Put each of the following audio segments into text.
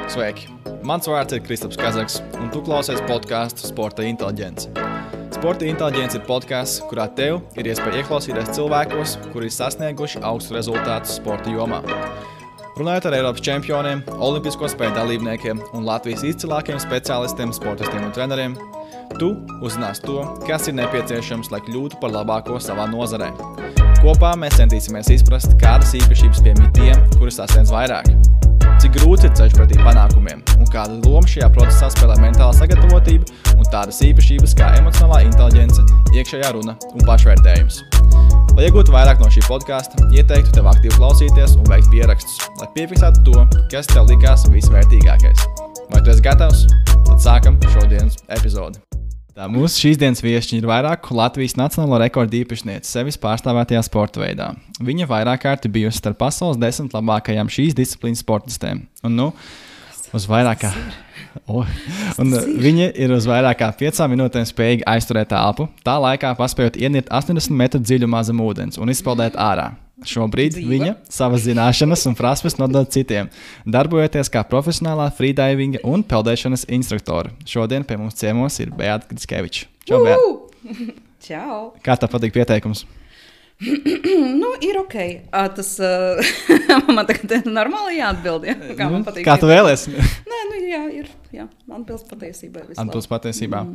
Sveiki! Mans vārds ir Kristaps Kazaks, un tu klausies podcastu Sporta inteliģence. Sporta inteliģence ir podcasts, kurā tev ir iespēja ieklausīties cilvēkos, kuri ir sasnieguši augstu rezultātus sporta jomā. Runājot ar Eiropas čempioniem, olimpisko spēļu dalībniekiem un Latvijas izcilākiem speciālistiem, sportistiem un treneriem, tu uzzinās to, kas ir nepieciešams, lai kļūtu par labāko savā nozarē. Kopā mēs centīsimies izprast, kādas īpašības piemīt tiem, kuri sasniedz vairāk. Cik grūts ir ceļš pretī panākumiem un kāda loma šajā procesā spēlē mentāla sagatavotība un tādas īpašības kā emocionālā inteliģence, iekšējā runa un pašvērtējums. Lai iegūtu vairāk no šī podkasta, ieteiktu tev aktīvi klausīties un veikt pierakstus, lai piefiksētu to, kas tev likās visvērtīgākais. Vai tu esi gatavs? Tad sākam šodienas epizodi. Tā mūsu šīs dienas viešņi ir vairāku Latvijas nacionālo rekordu īpašniece sevis pārstāvētajā sporta veidā. Viņa vairāk kārti bijusi starp pasaules 10 labākajām šīs disciplīnas sportistēm. Viņa ir uz vairāk kā 5 minūtēm spējīga aizturēt elpu, tā laikā paspējot ienirt 80 metru dziļumā zem ūdens un izpeldēt ārā. Šobrīd viņa savas zināšanas un prasmes nodod citiem, darbojoties kā profesionālā freedivinga un peldēšanas instruktora. Šodien pie mums ciemos ir Beata Grickeviča. Čau, Beata! Čau! Kā tev patīk pieteikums? Ir ok. Tas man tagad ir normāli jāatbild, ja? Kā man patīk. Kā tu vēlies? Nē, ir atbilst patiesībai. Atbilst patiesībā.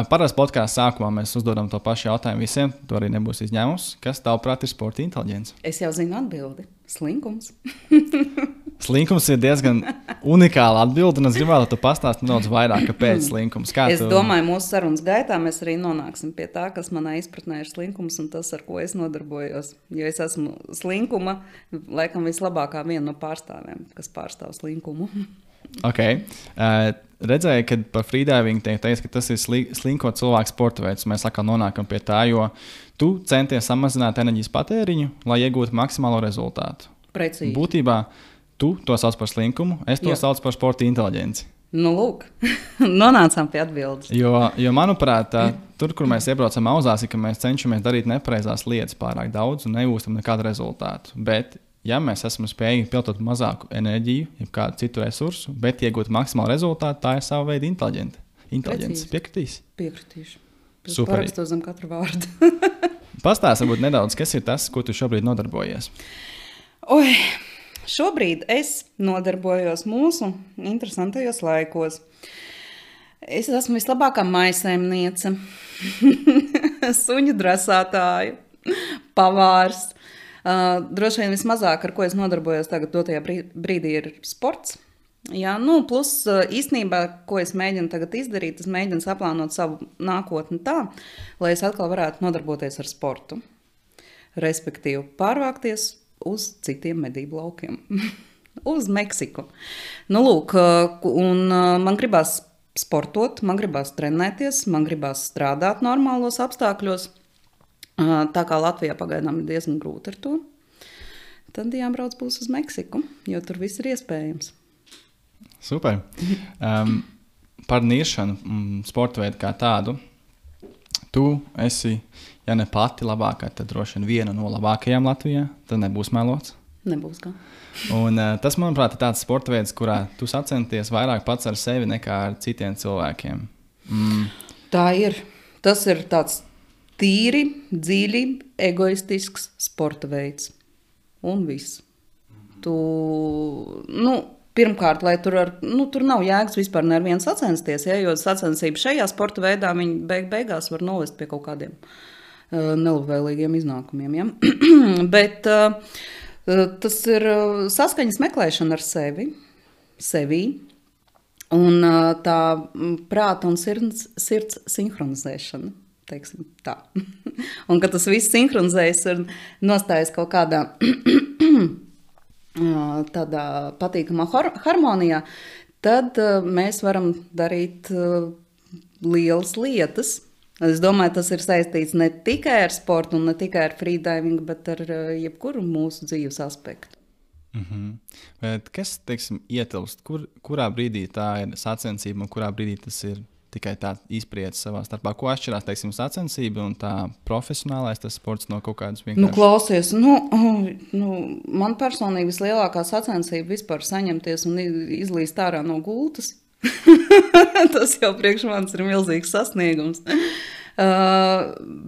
Parasti podkāstu sākumā mēs uzdodam to pašu jautājumu visiem, to arī nebūs izņēmums. Kas tavuprāt ir sporta inteliģence? Es jau zinu atbildi. Slinkums. Slinkums ir diezgan unikāla atbilde, un es gribētu, lai tu pastāsti nedaudz vairāk, kāpēc slinkums. Es domāju, mūsu sarunas gaitā mēs arī nonāksim pie tā, kas manā izpratnē ir slinkums un tas, ar ko es nodarbojos. Jo es esmu slinkuma, laikam vislabākā viena no pārstāvēm, kas pārstāv slinkumu. Ok. Redzēju, ka par freedivingu teiks, ka tas ir slinko cilvēku sporta veids. Mēs atkal nonākam pie tā, jo tu centies samazināt enerģijas patēriņu, lai iegūtu maksimālo rezultātu. Precīzi. Būtībā tu to sauc par slinkumu, es to saucu par sporta inteliģenci. Nu, lūk, nonācām pie atbildes. Jo manuprāt, tur, kur mēs iebraucam auzās, ir, ka mēs cenšamies darīt nepareizās lietas pārāk daudz un negūstam nekādu rezultātu. Bet, ja mēs esam spējīgi pielietot mazāku enerģiju, jeb kādu citu resursu, bet iegūt maksimālu rezultātu, tā ir sava veida inteliģence. Piekritīsi? Piekritīšu. Super. Parakstu zem katru vārdu. Pastāsti varbūt nedaudz, kas ir tas, ko tu šobrīd nodarbojies? Šobrīd es nodarbojos mūsu interesantajos laikos. Es esmu vislabākā maisaimniece, suņu drasātāju, pavārs. Droši vien vismazāk, ar ko es nodarbojos tagad dotajā brīdī, ir sports. Jā, plus īstenībā, ko es mēģinu tagad izdarīt, es mēģinu saplānot savu nākotni tā, lai es atkal varētu nodarboties ar sportu. Respektīvi, pārvākties uz citiem medību laukiem. Uz Meksiku. Lūk, un man gribās sportot, man gribās trenēties, man gribās strādāt normālos apstākļos. Tā kā Latvijā pagaidām ir diezgan grūti ar to, tad jābrauc būs uz Meksiku, jo tur viss ir iespējams. Super. Par niršanu sporta veidu kā tādu. Tu esi, ja ne pati labākā, tad droši vien viena no labākajām Latvijā. Tad nebūs melots. Nebūs kā. Un tas, manuprāt, ir tāds sporta veids, kurā tu sacenties vairāk pats ar sevi nekā ar citiem cilvēkiem. Tā ir. Tas ir tāds tīri, dziļi, egoistisks sporta veids. Un viss. Pirmkārt, lai tur nav jēgas vispār neviens sacensties, jo sacensība šajā sporta veidā viņi beigās var novest pie kaut kādiem nelabvēlīgiem iznākumiem. Ja? Bet tas ir saskaņas meklēšana ar sevi un tā prāta un sirds sinhronizēšana, teiksim tā. Un kad tas viss sinhronizējas un nostājas kaut kādā tādā patīkamā harmonijā, tad mēs varam darīt lielas lietas. Es domāju, tas ir saistīts ne tikai ar sportu un ne tikai ar freedivingu, bet ar jebkuru mūsu dzīves aspektu. Bet kas, teiksim, ietilpst? Kurā brīdī tā ir sacensība un kurā brīdī tas ir tikai tā izpriec savā starpā? Ko atšķirās, teiksim, sacensība un tā profesionālais tas sports no kaut kādas vienkārši? Klausies, man personīgi vislielākā sacensība vispār saņemties un izlīst ārā no gultas. Tas jau priekš manis ir milzīgs sasniegums.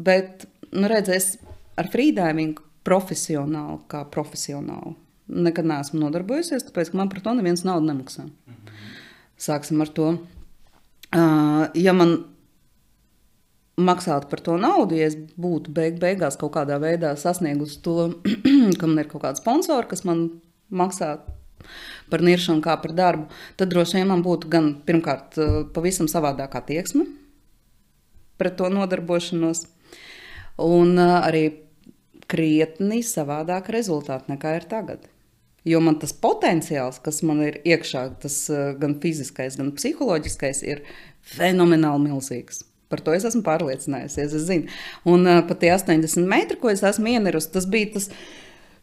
Bet, redzēs, ar freedivingu profesionāli nekad neesmu nodarbojusies, tāpēc, ka man par to neviens naudu nemaksā. Sāksim ar to. Ja man maksātu par to naudu, ja es būtu beigās kaut kādā veidā sasniegusi to, ka man ir kaut kāda sponsora, kas man maksā par niršanu kā par darbu, tad droši vien man būtu gan pirmkārt pavisam savādākā attieksme pret to nodarbošanos un arī krietni savādāk rezultāti nekā ir tagad. Jo man tas potenciāls, kas man ir iekšā, tas gan fiziskais, gan psiholoģiskais, ir fenomenāli milzīgs. Par to es esmu pārliecinājusies, es zinu. Un pat tie 80 metri, ko es esmu ienirusi, tas bija tas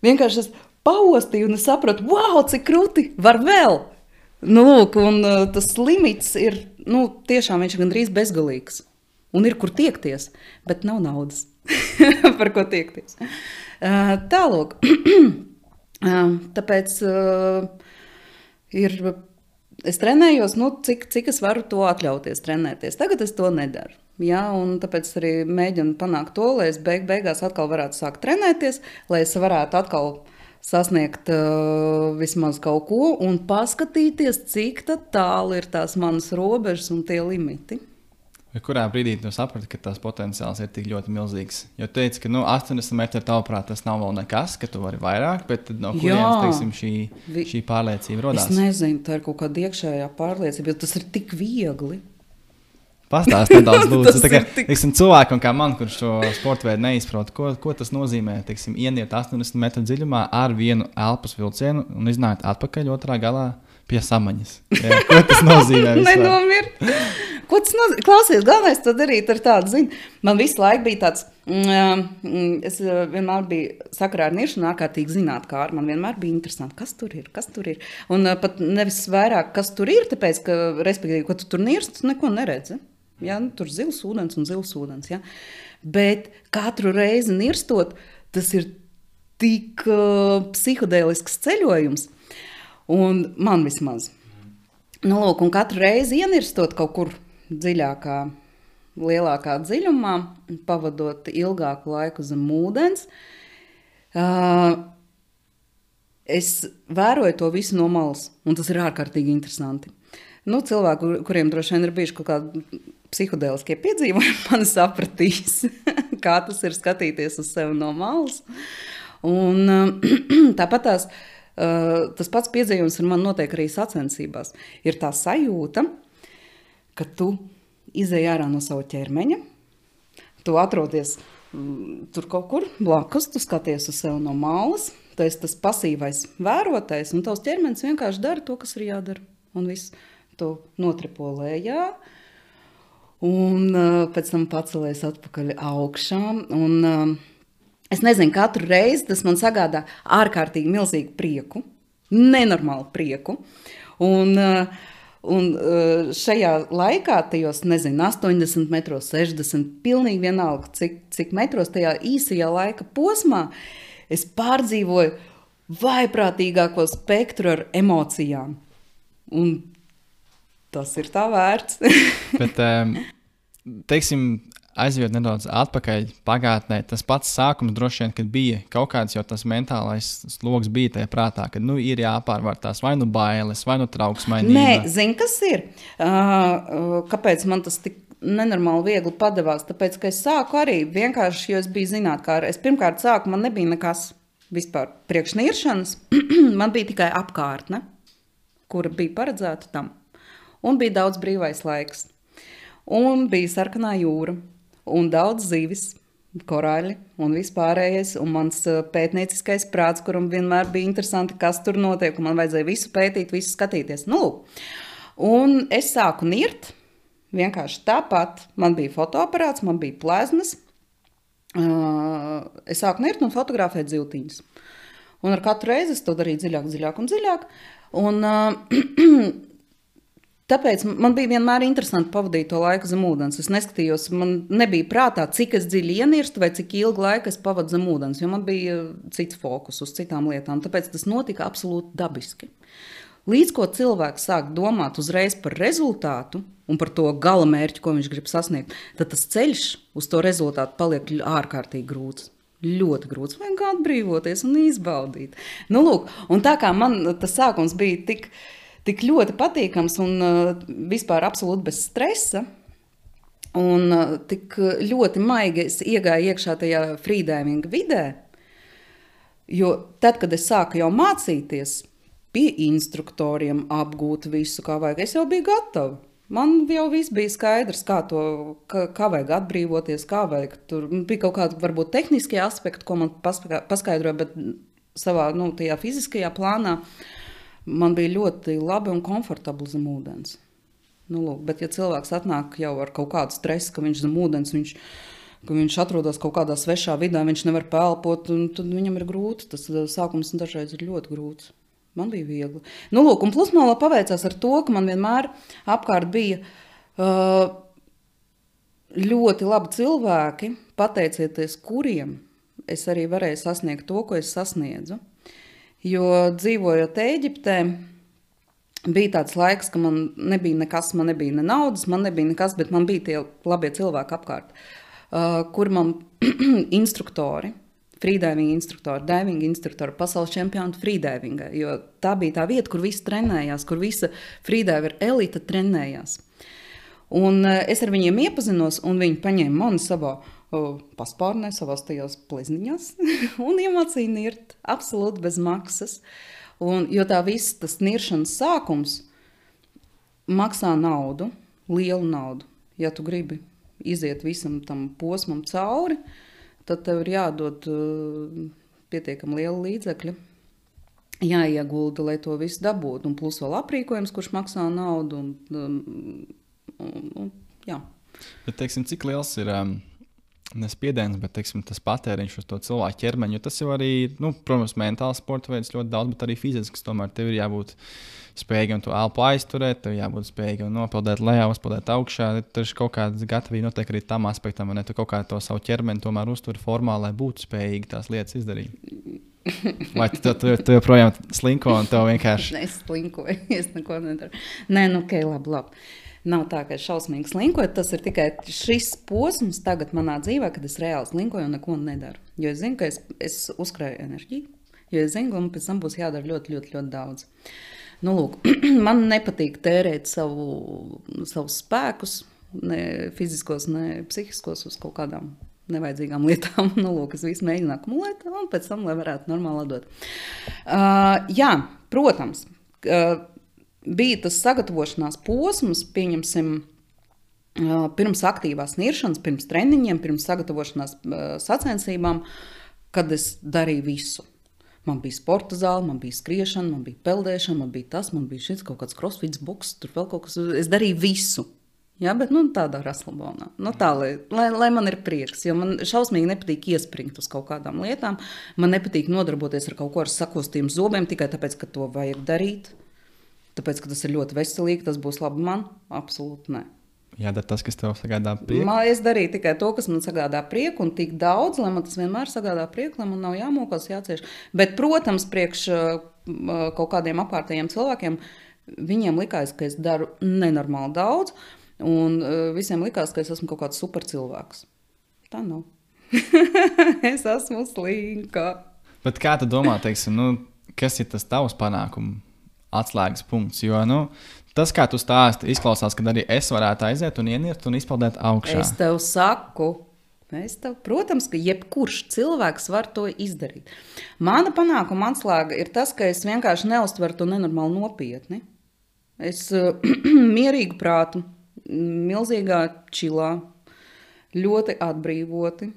vienkārši es paostīju un es sapratu, wow, cik krūti, var vēl! Un tas limits ir, tiešām viņš ir gandrīz bezgalīgs. Un ir, kur tiekties, bet nav naudas, par ko tiekties. Tālūk. Tāpēc es trenējos, cik es varu to atļauties trenēties. Tagad es to nedaru. Ja, un tāpēc arī mēģinu panākt to, lai es beigās atkal varētu sākt trenēties, lai es varētu atkal sasniegt vismaz kaut ko un paskatīties, cik tālu ir tās manas robežas un tie limiti. Vai kurā brīdī tu saprati, ka tās potenciāls ir tik ļoti milzīgs? Jo teici, ka 80 metri tavuprāt tas nav vēl nekas, ka tu vari vairāk, bet no kurienes, teiksim, šī pārliecība rodās? Es nezinu, tā ir kaut kāda iekšējā pārliecība, jo tas ir tik viegli. Pastāst nedaudz, lūdzu. Teiksim, cilvēkam kā man, kurš šo sporta veidu neizprot, ko tas nozīmē, teiksim, ieniet 80 metru dziļumā ar vienu elpas vilcienu un iznākt atpakaļ otrā galā pie samaņas. Jā, ko tas nozīmē vispār? Nenomirt. Ko tas nozīmē? Klausies, galvenais to darīt ar tādu, man visu laiku bija tāds, es vienmēr biju sakarā ar niršanu ārkārtīgi zinātkāri, man vienmēr bija interesanti, kas tur ir. Un pat nevis vairāk, kas tur ir, tāpēc, ka, respektīvi, ko tu tur nirst, tu neko neredzi. Ja? Tur zils ūdens, ja? Bet katru reizi nirstot, tas ir tik psihodēlisks ceļojums, un man vismaz. Un katru reizi ienirstot kaut kur dziļākā, lielākā dziļumā, pavadot ilgāku laiku zem ūdens, es vēroju to visu no malas, un tas ir ārkārtīgi interesanti. Cilvēki, kuriem droši vien ir bijuši kaut kādi psihodēliskie piedzīvojumi, mani sapratīs, kā tas ir skatīties uz sevi no malas. Un tāpat tas pats piedzīvojums ar mani notiek arī sacensībās. Ir tā sajūta, ka tu izej ārā no sava ķermeņa, tu atrodies tur kaut kur blakus, tu skaties uz sevi no malas, tu esi tas pasīvais vērotais, un tavs ķermenis vienkārši dara to, kas ir jādara. Un viss tu notripo lejā, un pēc tam pacelies atpakaļ augšā. Un es nezinu, katru reizi tas man sagādā ārkārtīgi milzīgu prieku, nenormālu prieku. Un šajā laikā, tajos, 80 metros, 60, pilnīgi vienalga, cik metros tajā īsajā laika posmā, es pārdzīvoju vaiprātīgāko spektru ar emocijām. Un tas ir tā vērts. Bet, teiksim, aizjot nedaudz atpakaļ pagātnē, tas pats sākums droši vien, kad bija kaut kāds jau tas mentālais sloks bija tajā prātā, kad ir jāpārvar tās vai bailes, vai trauksmainība. Nē, zini, kas ir? Kāpēc man tas tik nenormāli viegli padevās? Tāpēc, ka es sāku arī vienkārši, jo es biju zinātkāra. Es pirmkārt sāku, man nebija nekas vispār priekšniršanas, man bija tikai apkārtne, kura bija paredzēta tam. Un bija daudz brīvais laiks. Un bija sarkanā jūra. Un daudz zivis, korāļi un vispārējais, un mans pētnieciskais prāts, kuram vienmēr bija interesanti, kas tur notiek, un man vajadzēja visu pētīt, visu skatīties. Un es sāku nirt, vienkārši tāpat, man bija fotoaparāts, man bija pleznas, es sāku nirt un fotografēt zivtiņus. Un ar katru reizi es to darīju dziļāk, un Tāpēc man bija vienmēr interesanti pavadīt to laiku zem ūdens. Es neskatījos, man nebija prātā, cik es dziļi ienirstu vai cik ilgu laiku es pavadu zem ūdens, jo man bija cits fokus uz citām lietām. Tāpēc tas notika absolūti dabiski. Līdz ko cilvēks sāk domāt uzreiz par rezultātu un par to gala mērķi, ko viņš grib sasniegt, tad tas ceļš uz to rezultātu paliek ārkārtīgi grūts. Ļoti grūts. Vajag atbrīvoties un izbaudīt. Nu, lūk, un tā kā man tas sākums bija tik ļoti patīkams un vispār absolūti bez stresa, un tik ļoti maigi es iegāju iekšā tajā freedivinga vidē, jo tad, kad es sāku jau mācīties pie instruktoriem apgūt visu, kā vajag, es jau biju gatava. Man jau viss bija skaidrs, kā vajag atbrīvoties, kā vajag. Tur bija kaut kādi varbūt tehniskie aspekti, ko man paskaidroja, bet savā tajā fiziskajā plānā man bija ļoti labi un komfortabli zem ūdens. Nu, lūk, bet ja cilvēks atnāk jau ar kaut kādu stresu, ka viņš zem ūdens, ka viņš atrodas kaut kādā svešā vidē, viņš nevar pelpot, un tad viņam ir grūti. Tas sākums dažreiz ir ļoti grūts. Man bija viegli. Nu, lūk, un plus man paveicās ar to, ka man vienmēr apkārt bija ļoti labi cilvēki, pateicieties kuriem es arī varēju sasniegt to, ko es sasniedzu. Jo dzīvojot Ēģiptē, bija tāds laiks, ka man nebija nekas, man nebija ne naudas, man nebija nekas, bet man bija tie labie cilvēki apkārt, kur man instruktori, freediving instruktori, pasaules čempioni freedivingā, jo tā bija tā vieta, kur visi trenējās, kur visa freediver elita trenējās. Un es ar viņiem iepazinos, un viņi paņēma mani savā paspārnē, savās tajās plezniņās, un iemācīja nirt absolūti bez maksas. Jo tā viss, tas niršanas sākums maksā naudu, lielu naudu. Ja tu gribi iziet visam tam posmam cauri, tad tev ir jādod pietiekami liela līdzekļa, jāiegulda, lai to visu dabūtu. Un plus vēl aprīkojums, kurš maksā naudu. Jā. Bet, teiksim, cik liels ir nespiediens, bet teiksim, tas patēriņš uz to cilvēku ķermeņu, jo tas jau arī, protams, mentāls sporta veids ļoti daudz, bet arī fizisks. Tomēr tev ir jābūt spējīgam to elpu aizturēt, tev jābūt spējīgam nopeldēt lejā, uzpeldēt augšā. Tur ir kaut kāda gatavība noteikti arī tam aspektam, vai ne? Tu kaut kā to savu ķermeni tomēr uztver formā, lai būtu spējīgi tās lietas izdarīt. Vai tu joprojām slinko un tev vienkārši... Es slinkoju, es neko nedaru. Nē, labi. Nav tā, ka es šausmīgi slinkoju, tas ir tikai šis posms tagad manā dzīvē, kad es reāli slinkoju un neko nedaru. Jo es zinu, ka es uzkrāju enerģiju, jo es zinu, ka man pēc tam būs jādara ļoti, ļoti, ļoti daudz. Nu, lūk, man nepatīk tērēt savus spēkus, ne fiziskos, ne psihiskos uz kaut kādām nevajadzīgām lietām. Nu, lūk, es visu mēģinu akumulēt un pēc tam, lai varētu normāli atdot. Jā, protams, bija tas sagatavošanās posms, pieņemsim, pirms aktīvās niršanas, pirms treniņiem, pirms sagatavošanās sacensībām, kad es darīju visu. Man bija sporta zāle, man bija skriešana, man bija peldēšana, man bija tas, man bija šis kaut kāds crossfits, boks, tur vēl kaut kas. Es darīju visu. Jā, bet tādā raslabonā. Tā, lai man ir prieks, jo man šausmīgi nepatīk iespringt uz kaut kādām lietām. Man nepatīk nodarboties ar kaut ko ar sakostījumu zobiem tikai tāpēc, ka to vajag darīt. Tāpēc, ka tas ir ļoti veselīgi, tas būs labi man? Absolūti nē. Jādara tas, kas tev sagādā prieku? Es darīju tikai to, kas man sagādā prieku, un tik daudz, lai man tas vienmēr sagādā prieku, lai man nav jāmokās, jācieš. Bet, protams, priekš kaut kādiem apkārtējiem cilvēkiem, viņiem likās, ka es daru nenormāli daudz, un visiem likās, ka es esmu kaut kāds super cilvēks. Tā nav. Es esmu slinka. Bet kā tu domā, teiksim, kas ir tas tavs panākumu atslēgas punkts? Jo, tas, kā tu stāsti, izklausās, ka arī es varētu aiziet un ienirt un izpeldēt augšā. Es tev saku, protams, ka jebkurš cilvēks var to izdarīt. Mana panākuma atslēga ir tas, ka es vienkārši neuztveru to nenormāli nopietni. Es mierīgu prātu, milzīgā čilā, ļoti atbrīvoti.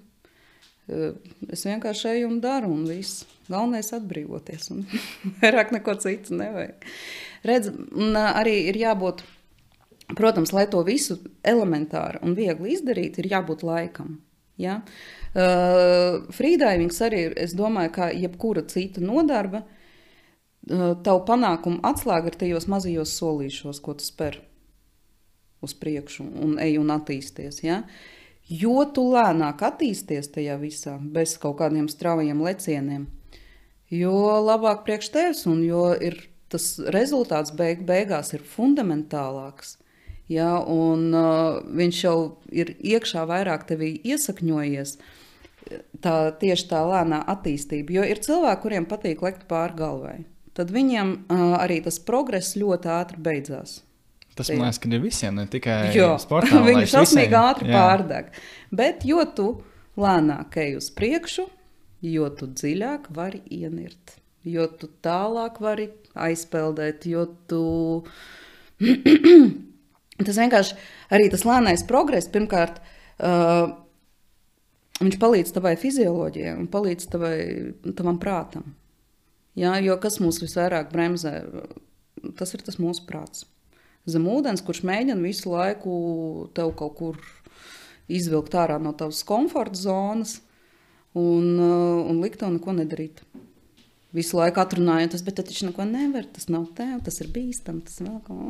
Es vienkārši eju un daru un viss. Galvenais atbrīvoties un vairāk neko citu nevajag. Redz, arī ir jābūt, protams, lai to visu elementāri un viegli izdarīt, ir jābūt laikam. Ja? Freedivings arī ir, es domāju, kā jebkura cita nodarba, tavu panākumu atslēga ir tajos mazajos solīšos, ko tu spēr. uz priekšu un ej un attīsties, ja? Jo tu lēnāk attīsties tajā visā, bez kaut kādiem straujiem lecieniem, jo labāk priekš tevis un jo ir tas rezultāts beigās ir fundamentālāks. Ja, un viņš jau ir iekšā vairāk tevī iesakņojies, tieši tā lēnā attīstība. Jo ir cilvēki, kuriem patīk lekt pāri galvai. Tad viņiem arī tas progress ļoti ātri beidzās. Tas, man liekas, ka ir visiem, ne tikai sportā. Viņi šausmīgi ātri pārdeg. Bet jo tu lēnāk ej uz priekšu, jo tu dziļāk vari ienirt. Jo tu tālāk vari aizpeldēt, jo tu... Tas vienkārši arī tas lēnais progress, pirmkārt, viņš palīdz tavai fizioloģijai un palīdz tavam prātam. Ja, jo kas mūs visvairāk bremzē, tas ir tas mūsu prāts. Zem ūdens, kurš mēģina visu laiku tev kaut kur izvilkt ārā no tavas komforta zonas un likt tev neko nedarīt. Visu laiku atrunājoties, bet tad viņš neko nevar, tas nav tev, tas ir bīstam, tas vēl kaut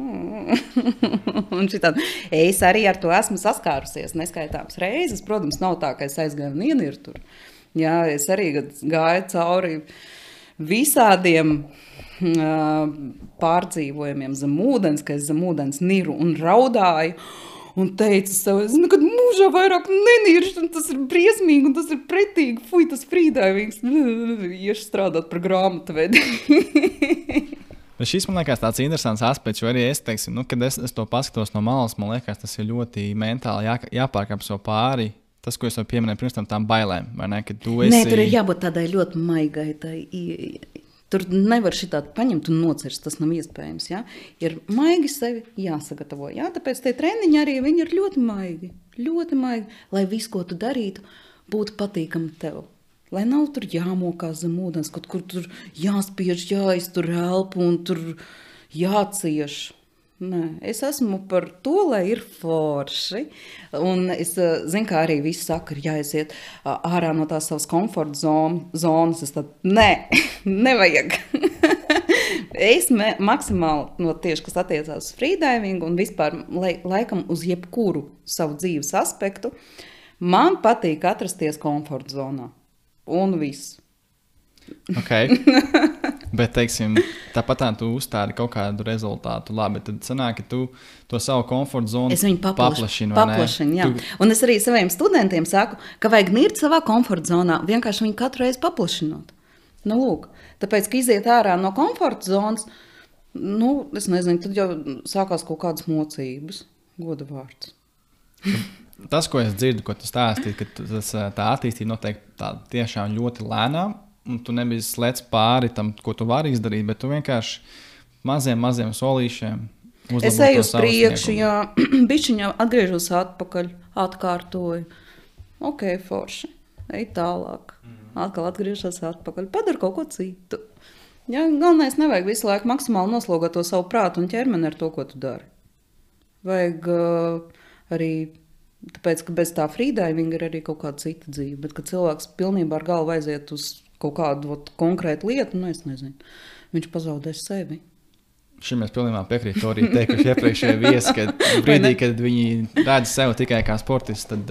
un šitādi. Es arī ar to esmu saskārusies neskaitāms reizes. Protams, nav tā, ka es aizgāju un ieniru tur. Jā, es arī gāju cauri visādiem pārdzīvojumiem zem ūdens, ka es zem ūdens niru un raudāju un teicu sev, es nekad mūžā vairāk neniršu, un tas ir briesmīgi, un tas ir pretīgi, fuj, tas frīdājums, iešu strādāt par grāmatvedi. Šis man liekas tāds interesants aspekts, jo arī es teiksim, kad es to paskatos no malas, man liekas, tas ir ļoti mentāli jāpārkāp sev pāri. Tas, ko es jau pieminēju pirms tām bailēm, vai ne, ka tu esi... Nē, tur ir jābūt tādai ļoti maigai, tur nevar šitādi paņemt un nocirst, tas nav iespējams, ja? Ir maigi sevi jāsagatavo, ja? Tāpēc tie treniņi arī, viņi ir ļoti maigi, lai visu, ko tu darītu, būtu patīkami tev. Lai nav tur jāmokās zem ūdens, kaut kur tur jāspiež, jāiztur elpu un tur jācieš. Nē, es esmu par to, lai ir forši, un es zinu, kā arī visi saka, ir jāiziet ārā no tās savas komforta zonas, es tad, nevajag. Es maksimāli no tieši, kas attiecās uz freedivingu un vispār laikam uz jebkuru savu dzīves aspektu, man patīk atrasties komforta zonā, un viss. Ok, bet, teiksim, tāpat tu uzstādi kaut kādu rezultātu, labi, tad sanāk, ka tu to savu komforta zonu paplašini, jā. Un es arī saviem studentiem saku, ka vajag nirt savā komforta zonā, vienkārši viņu katru reizi paplašinot. Nu, lūk, tāpēc, ka iziet ārā no komforta zonas, es nezinu, tad jau sākās kaut kādas mocības, goda vārds. Tas, ko es dzirdu, ko tu stāstīji, ka tā attīstība notiek tā tiešām ļoti lēnām, un tu nebija slēdz pāri tam, ko tu vari izdarīt, bet tu vienkārši maziem solīšiem uzlabo es eju uz priekšu, jā, bišķiņā atgriežos atpakaļ, atkārtoju. Ok, forši, ej tālāk. Atkal atgriežos atpakaļ, padara kaut ko citu. Jā, galvenais nevajag visu laiku maksimāli noslogot to savu prātu un ķermeni ar to, ko tu dari. Vajag arī... Tāpēc, ka bez tā freedivinga ir arī kaut kāda cita dzīve, bet kad cilvēks pilnībā ar galvu aiziet uz kaut kādu konkrētu lietu, es nezinu, viņš pazaudēs sevi. Šim mēs pilnībā piekrītu arī teikuši iepriekšējie viesi, ka brīdī, kad viņi redz sevi tikai kā sportists, tad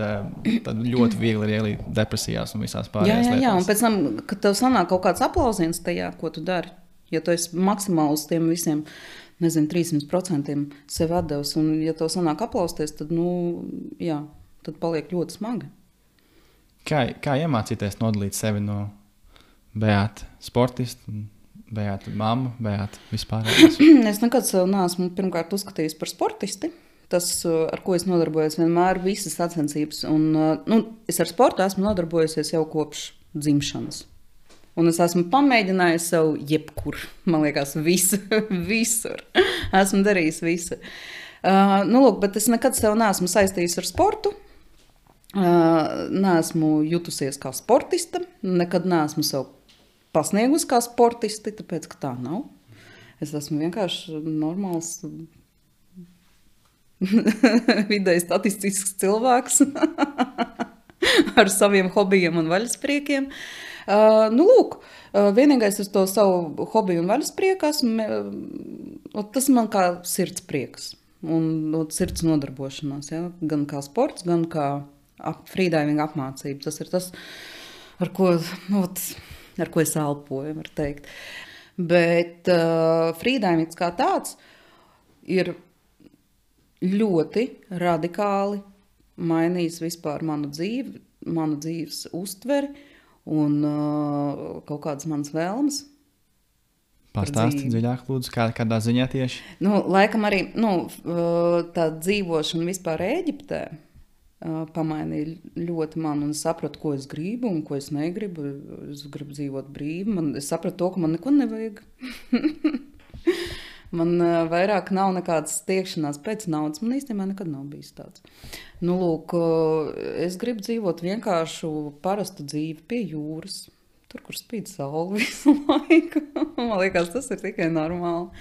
ļoti viegli ir ielīt depresijās un visās pārējās lietās. Jā, un pēc tam, kad tev sanāk kaut kāds aplausiens tajā, ko tu dari, ja tu esi maksimāli uz tiem visiem, 300% sev atdevis, un ja tev sanāk aplausties, tad, tad paliek ļoti smagi. Kā iemācīties nodalīt sevi no Beāta sportistu, Beāta mammu, Beāta vispārējās? Es nekad sev neesmu pirmkārt uzskatījis par sportisti. Tas, ar ko es nodarbojos, vienmēr visas sacensības. Un, es ar sportu esmu nodarbojusies jau kopš dzimšanas. Un es esmu pamēģinājis sev jebkur, man liekas, visur. Esmu darījis visu. Bet es nekad sev neesmu saistījis ar sportu. Neesmu jutusies kā sportista. Nekad neesmu sev pasniegusi kā sportisti, tāpēc, ka tā nav. Es esmu vienkārši normāls vidēji statistisks cilvēks ar saviem hobijiem un vaļaspriekiem. Vienīgais uz to savu hobiju un vaļasprieku tas man kā sirds prieks. un sirds nodarbošanās. Ja? Gan kā sports, gan kā freedivinga apmācība. Tas ir tas, ar ko es elpoju, var teikt. Bet freedivings kā tāds ir ļoti radikāli mainījis vispār manu dzīves uztveri un kaut kādas manas vēlmes. Pastāsti dziļāk, lūdzu, kādā ziņā tieši? Laikam arī tā dzīvošana vispār Ēģiptē pamainīja ļoti mani, un es sapratu, ko es gribu un ko es negribu. Es gribu dzīvot brīvi. Es sapratu to, ka man neko nevajag. Man vairāk nav nekādas tiekšanās pēc naudas. Man īstenībā nekad nav bijis tāds. Lūk, es gribu dzīvot vienkāršu, parastu dzīvi pie jūras. Tur, kur spīd saule visu laiku. Man liekas, tas ir tikai normāli.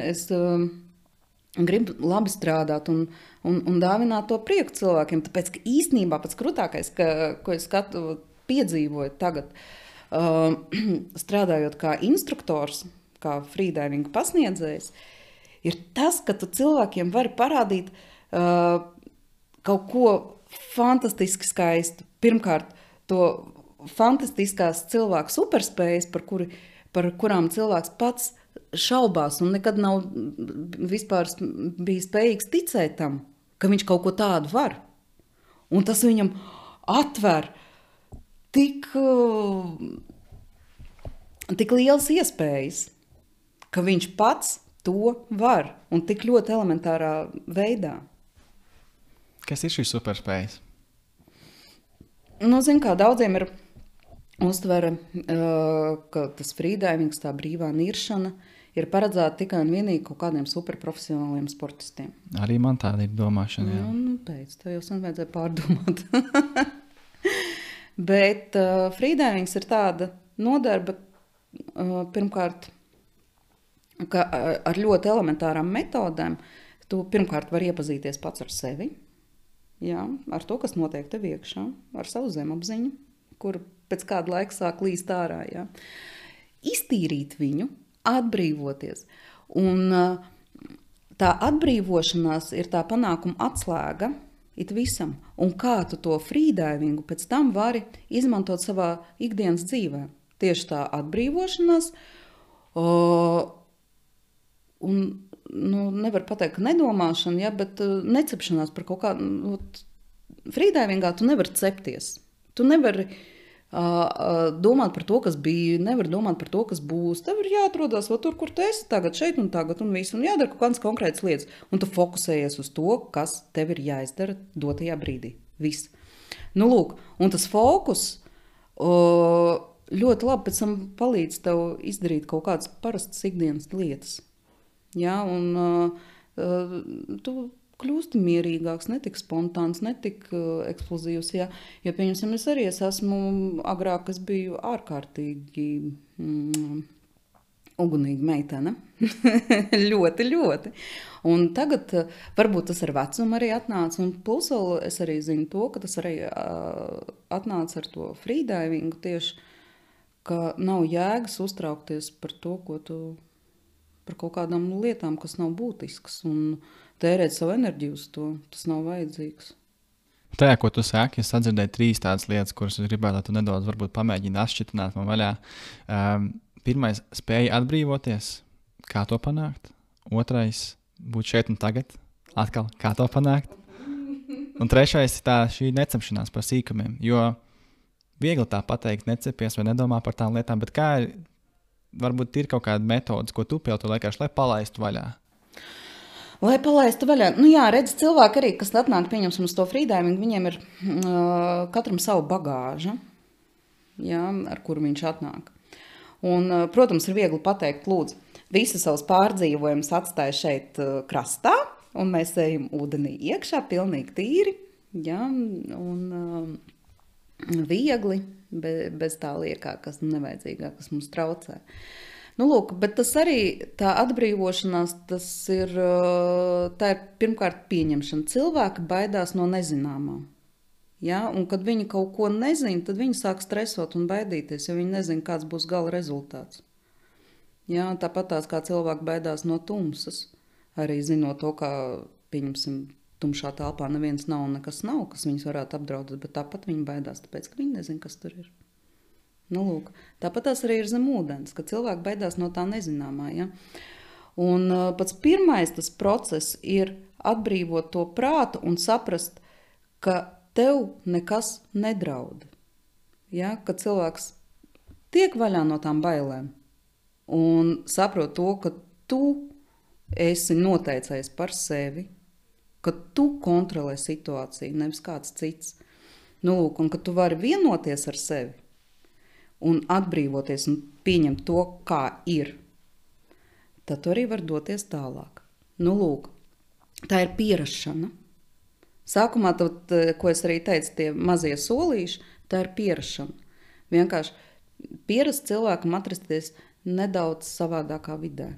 Es gribu labi strādāt un dāvināt to prieku cilvēkiem. Tāpēc, ka īstenībā pats krūtākais, ko es piedzīvoju tagad, strādājot kā instruktors, kā freedivinga pasniedzējs, ir tas, ka tu cilvēkiem vari parādīt kaut ko fantastiski skaistu. Pirmkārt, to fantastiskās cilvēku superspējas, par kurām cilvēks pats šaubās un nekad nav vispār bijis spējīgs ticēt tam, ka viņš kaut ko tādu var. Un tas viņam atver tik lielas iespējas, ka viņš pats to var un tik ļoti elementārā veidā. Kas ir šīs superspējas? Zin kā, daudziem ir uztvere, ka tas freedivings, tā brīvā niršana, ir paredzēta tikai un vienīgi kaut kādiem superprofesionāliem sportistiem. Arī man tāda ir domāšana, jā. Pēc, to jau sen vajadzēja pārdomāt. Bet freedivings ir tāda nodarbe, pirmkārt, ka ar ļoti elementārām metodēm tu pirmkārt var iepazīties pats ar sevi, jā, ar to, kas notiek tev iekšā, ar savu zemapziņu, kur pēc kāda laika sāk līst ārā, jā. Iztīrīt viņu, atbrīvoties. Un tā atbrīvošanās ir tā panākuma atslēga it visam. Un kā tu to freedivingu pēc tam vari izmantot savā ikdienas dzīvē. Tieši tā atbrīvošanās, un nevar pateikt, ka nedomāšana, ja, bet necepšanās par kaut kādu. Freedivingā tu nevari cepties. Tu nevari domāt par to, kas bija, nevar domāt par to, kas būs. Tev ir jāatrodās tur, kur tu esi tagad, šeit un tagad un visu, un jādara kaut kādas konkrētas lietas. Un tu fokusējies uz to, kas tev ir jāizdara dotajā brīdī. Viss. Lūk, un tas fokus ļoti labi pēc tam palīdz tev izdarīt kaut kādas parastas ikdienas lietas. Jā, un tu kļūsti mierīgāks, ne tik spontāns, ne tik eksplozīvs. Jā. Jo, pieņemsim, es esmu agrāk, es biju ārkārtīgi ugunīga meitene. ļoti, ļoti. Un tagad varbūt tas ar vecumu arī atnāca. Un plus vēl es arī zinu to, ka tas arī atnāca ar to freedivingu tieši, ka nav jēgas uztraukties par to, par kaut kādām lietām, kas nav būtiskas, un tērēt savu enerģiju uz to. Tas nav vajadzīgs. Tajā, ko tu saki, es sadzirdēju 3 tādas lietas, kuras es gribētu, lai tu nedaudz varbūt pamēģini atšķitināt man vaļā. Pirmais, spēja atbrīvoties. Kā to panākt? Otrais, būt šeit un tagad. Atkal, kā to panākt? Un trešais ir šī necepšanās par sīkumiem, jo viegli tā pateikt, necepies vai nedomā par tām lietām, bet kā ir, varbūt ir kaut kāda metodas, ko tu pielieto vienkārši, lai palaistu vaļā? Lai palaistu vaļā. Jā, redz, cilvēki arī, kas atnāk, pieņemsim uz to freedivingu, viņiem ir katram savu bagāžu, jā, ar kuru viņš atnāk. Un, protams, ir viegli pateikt, lūdzu, visu savus pārdzīvojumus atstāja šeit krastā, un mēs ejam ūdenī iekšā, pilnīgi tīri, jā, un viegli, bez tā liekā, kas nevajadzīgā, kas mums traucē. Lūk, bet tas arī, tā atbrīvošanās, tā ir pirmkārt pieņemšana. Cilvēki baidās no nezināmā. Ja? Un kad viņi kaut ko nezina, tad viņi sāk stresot un baidīties, jo viņi nezina, kāds būs gala rezultāts. Ja? Tāpat tās kā cilvēki baidās no tumsas. Arī zinot to, ka, pieņemsim, tumšā telpā neviens nav un nekas nav, kas viņus varētu apdraudēt, bet tāpat viņi baidās, tāpēc, ka viņi nezin, kas tur ir. Nu, lūk, tāpat tās arī ir zem ūdens, ka cilvēki baidās no tā nezināmā, ja? Un pats pirmais tas process ir atbrīvot to prātu un saprast, ka tev nekas nedraud. Ja? Kad cilvēks tiek vaļā no tām bailēm un saprot to, ka tu esi noteicējis par sevi, ka tu kontrolē situāciju, nevis kāds cits. Nu, lūk, un ka tu vari vienoties ar sevi un atbrīvoties un pieņemt to, kā ir, tad tu arī var doties tālāk. Nu, lūk, tā ir pierašana. Sākumā, tad, ko es arī teicu, tie mazie solīši, tā ir pierašana. Vienkārši pierast cilvēkam atrasties nedaudz savādākā vidē,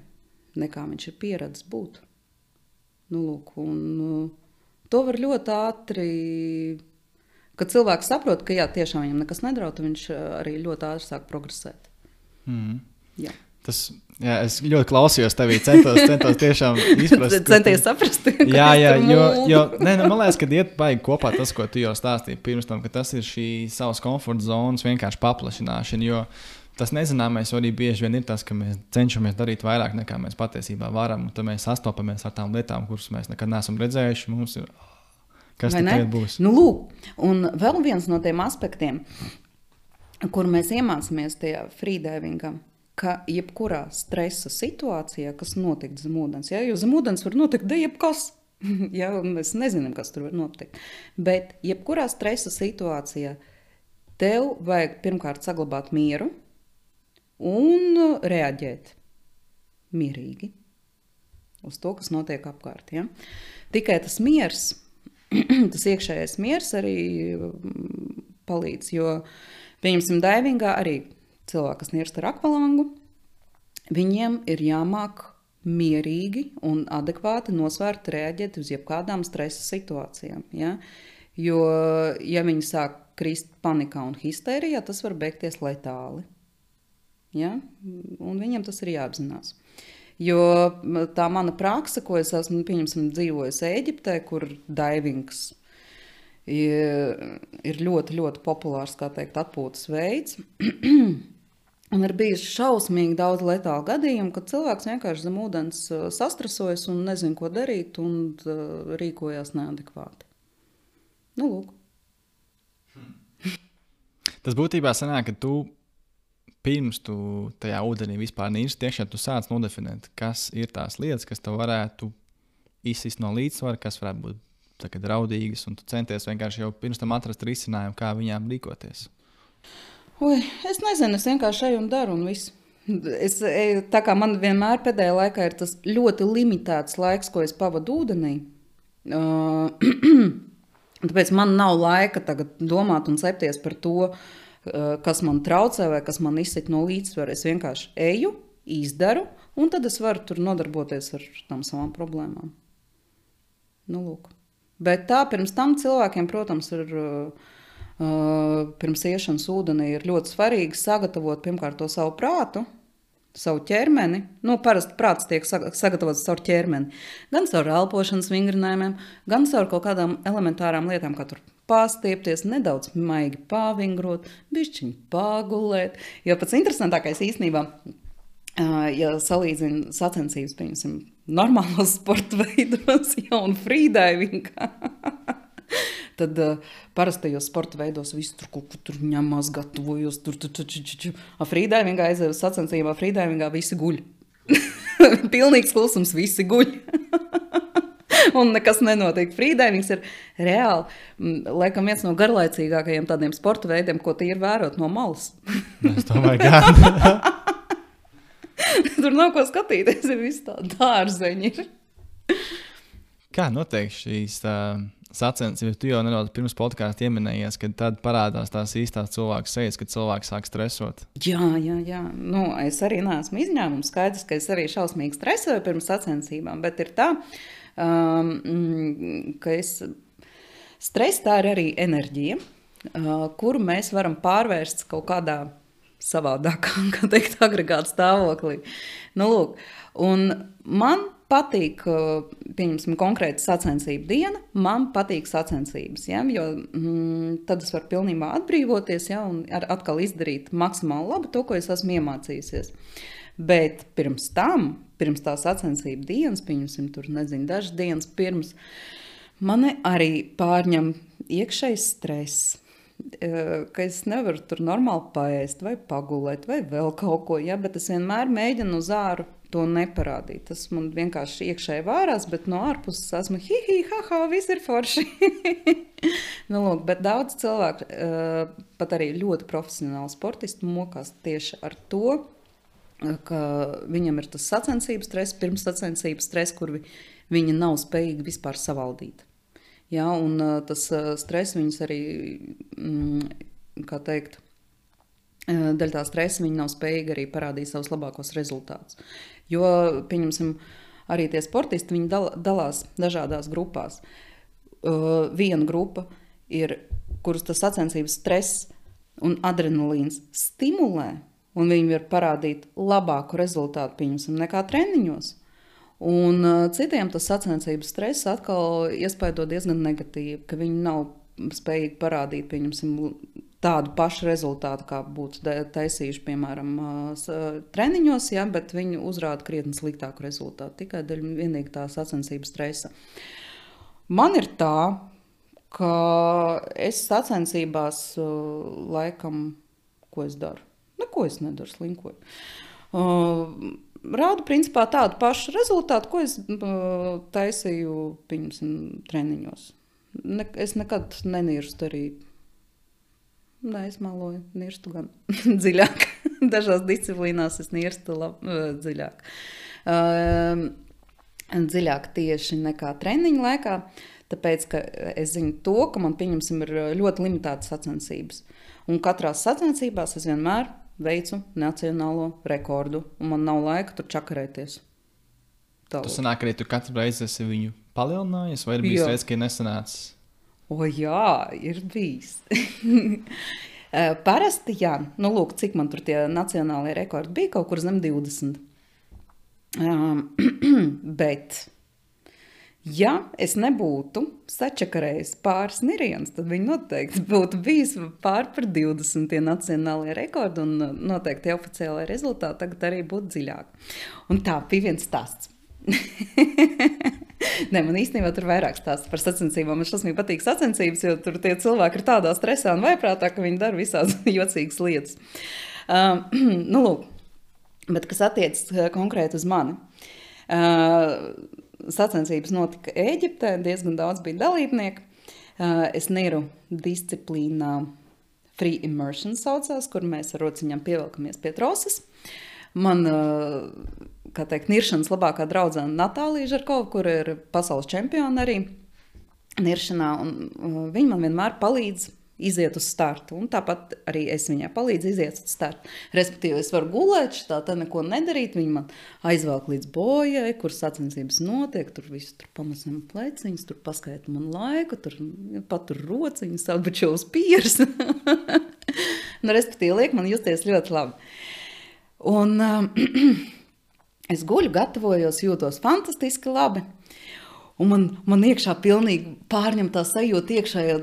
nekā viņš ir pieredzis būt. Nu, lūk, un to var ļoti ātri, kad cilvēks saprot, ka jā, tiešām viņam nekas nedraud, viņš arī ļoti ātri sāk progresēt. Jā. Es ļoti klausījos tevī, centos tiešām izprast. Centies saprast, man liekas, ka iet baigi kopā tas, ko tu jau stāstīji pirms tam, ka tas ir šī savas komforta zonas vienkārši paplašināšana, jo tas nezināmais arī bieži vien ir tas, ka mēs cenšamies darīt vairāk nekā mēs patiesībā varam, un tad mēs sastopamies ar tām lietām, kuras mēs nekad neesam redzējuši, mums ir, kas tad būs? Nu, lūk, un vēl viens no tiem aspektiem, kur mēs iemācāmies tajā freedivingā, ka jebkurā stresa situācijā, kas notiek zem ūdens, ja, jo zem ūdens var notikt jebkas, ja, un mēs nezinām, kas tur var notikt, bet jebkurā stresa situācijā tev vajag pirmkārt saglabāt mieru un reaģēt mierīgi uz to, kas notiek apkārt. Ja? Tikai tas miers, tas iekšējais miers arī palīdz, jo, pieņemsim, daivingā arī cilvēki, kas nirst ar akvalangu, viņiem ir jāmāk mierīgi un adekvāti nosvērt reaģēt uz jebkādām stresa situācijām. Ja? Jo, ja viņi sāk krist panikā un histērijā, tas var beigties letāli. Ja? Un viņiem tas ir jāapzinās. Jo tā mana praksa, ko es esmu, pieņemsim, dzīvojis Ēģiptē, kur daivings ir ļoti, ļoti populārs, kā teikt, atpūtas veids. Un ir bijuši šausmīgi daudz letālu gadījumu, kad cilvēks vienkārši zem ūdens sastresojas un nezin, ko darīt, un rīkojās neadekvāti. Nu, lūk. Tas būtībā sanāk, ka tu pirms tu tajā ūdenī vispār nīrsti iekšā, tu sāc nodefinēt, kas ir tās lietas, kas tev varētu izsist no līdzsvara, kas varētu būt tagad raudīgas, un tu centies vienkārši jau pirms tam atrast risinājumu, kā viņām rīkoties. Es nezinu, es vienkārši eju un daru un visu. Tā kā man vienmēr pēdējā laikā ir tas ļoti limitēts laiks, ko es pavadu ūdenī. Tāpēc man nav laika tagad domāt un cepties par to, kas man traucē vai kas man izsit no līdzsvara. Es vienkārši eju, izdaru, un tad es varu tur nodarboties ar tām savām problēmām. Nu, lūk. Bet tā pirms tam cilvēkiem, protams, ir pirms iešanas ūdenī ir ļoti svarīgi sagatavot pirmkārt to savu prātu, savu ķermeni. Nu, parasti prāts tiek sagatavots caur ķermeni. Gan caur elpošanas vingrinājumiem, gan caur kaut kādām elementārām lietām, kā tur pārstiepties, nedaudz maigi pāvingrot, bišķiņ pāgulēt. Jo pats interesantākais īstenībā, ja salīdzina sacensības, pieņemsim, normālos sporta veidos, ja, un freedivingā, tad parastajos sporta veidos visu tur kaut kur tur ņemās, gatavojos, freedivingā aizēju sacensībā, freedivingā visi guļ. Pilnīgs klusums, visi guļ. Un nekas nenotiek. Freedivings ir reāli, laikam, viens no garlaicīgākajiem tādiem sporta veidiem, ko tie ir vērot no malas. Es domāju, gan. Tur nav ko skatīties, ir viss tā dārzeņi. Kā notiek šīs sacensības? Tu jau nedaudz pirms podkāsta ieminējies, kad tad parādās tās īstās cilvēku sejas, kad cilvēks sāk stresot. Jā. Nu, es arī neesmu izņēmums. Skaidrs, ka es arī šausmīgi stresoju pirms sacensībām, bet ir tā, ka stress tā ir arī enerģija, kuru mēs varam pārvērst kaut kādā savādākā, kā teikt, agregāta stāvoklī. Nu, lūk, un man patīk, pieņemsim, konkrēta sacensību diena, man patīk sacensības, ja? Jo tad es varu pilnībā atbrīvoties, ja? Un atkal izdarīt maksimāli labu to, ko es esmu iemācījusies. Bet pirms tā sacensību dienas, pieņemsim, tur, nezinu, dažas dienas pirms, mani arī pārņem iekšējs stress. Ka es nevaru tur normāli paēst vai pagulēt vai vēl kaut ko, ja? Bet es vienmēr mēģinu uz āru to neparādīt. Tas man vienkārši iekšēji vārās, bet no ārpuses esmu ha, viss ir forši. Nu, lūk, bet daudz cilvēku, pat arī ļoti profesionāli sportisti mokās tieši ar to, ka viņam ir tas sacensības stress, pirms sacensības stress, kur viņi nav spējīgi vispār savaldīt. Ja, un tas stress viņus arī, kā teikt, daļa tā stresa viņi nav spējīgi arī parādīt savus labākos rezultātus. Jo, pieņemsim, arī tie sportisti, viņi dalās dažādās grupās. Viena grupa ir, kuras tas sacensības stress un adrenalīns stimulē, un viņi var parādīt labāku rezultātu, pieņemsim, nekā treniņos. Un citiem tas sacensības stress atkal iespaido diezgan negatīvi, ka viņi nav spējīgi parādīt, pieņemsim, tādu pašu rezultātu, kā būtu taisījuši, piemēram, treniņos, ja, bet viņi uzrāda krietni sliktāku rezultātu, tikai vienīgi tā sacensības stresa. Man ir tā, ka es sacensībās laikam, ko es daru? Neko es nedaru, slinkoju. Rādu principā tādu pašu rezultātu, ko es taisīju, pieņemsim, treniņos. Es nekad nenirstu arī. Nē, es maloju, nirstu gan dziļāk. Dažās disciplīnās es nirstu dziļāk. Dziļāk tieši nekā treniņu laikā, tāpēc, ka es zinu to, ka man, pieņemsim, ir ļoti limitētas sacensības. Un katrās sacensībās es vienmēr veicu nacionālo rekordu, un man nav laika tur čakarēties. Tas sanāk arī tu katru reizi esi viņu palielinājies, vai ir bijis reiz, ka ir nesanācis? O jā, ir bijis. Parasti, jā. Nu, lūk, cik man tur tie nacionālie rekordi bija, kaut kur zem 20. Bet, ja es nebūtu sačakarējis pāris nirienus, tad viņi noteikti būtu bijis pār par 20 tie nacionālie rekordi, un noteikti oficiālai rezultāti tagad arī būtu dziļāk. Un tā bija viens stāsts. Nē, man īstenībā tur vairāk stāsts par sacensībām. Man šausmīgi patīk sacensības, jo tur tie cilvēki ir tādā stresā un vaiprātā, ka viņi dara visādas jocīgas lietas. Nu, lūk, bet kas attiecas konkrēti uz mani. Sacensības notika Ēģiptē, diezgan daudz bija dalībnieku. Es niru disciplīnā Free Immersion saucās, kur mēs ar rociņām pievelkamies pie troses. Man, kā teikt, niršanas labākā draudzene Natālija Žarkova, kur ir pasaules čempiona arī niršanā, un viņa man vienmēr palīdz iziet uz startu, un tāpat arī es viņai palīdzu iziet uz startu. Respektīvi, es varu gulēt, tā neko nedarīt, viņa man aizvelk līdz bojai, kur sacensības notiek, tur visu tur pamazam pleciņas, tur paskaita man laiku, tur patur rociņas, atbučo uz pieres. Nu, respektīvi, liek man justies ļoti labi. Un es guļu, gatavojos, jūtos fantastiski labi, un man iekšā pilnīgi pārņem tā sajūta iekšējā,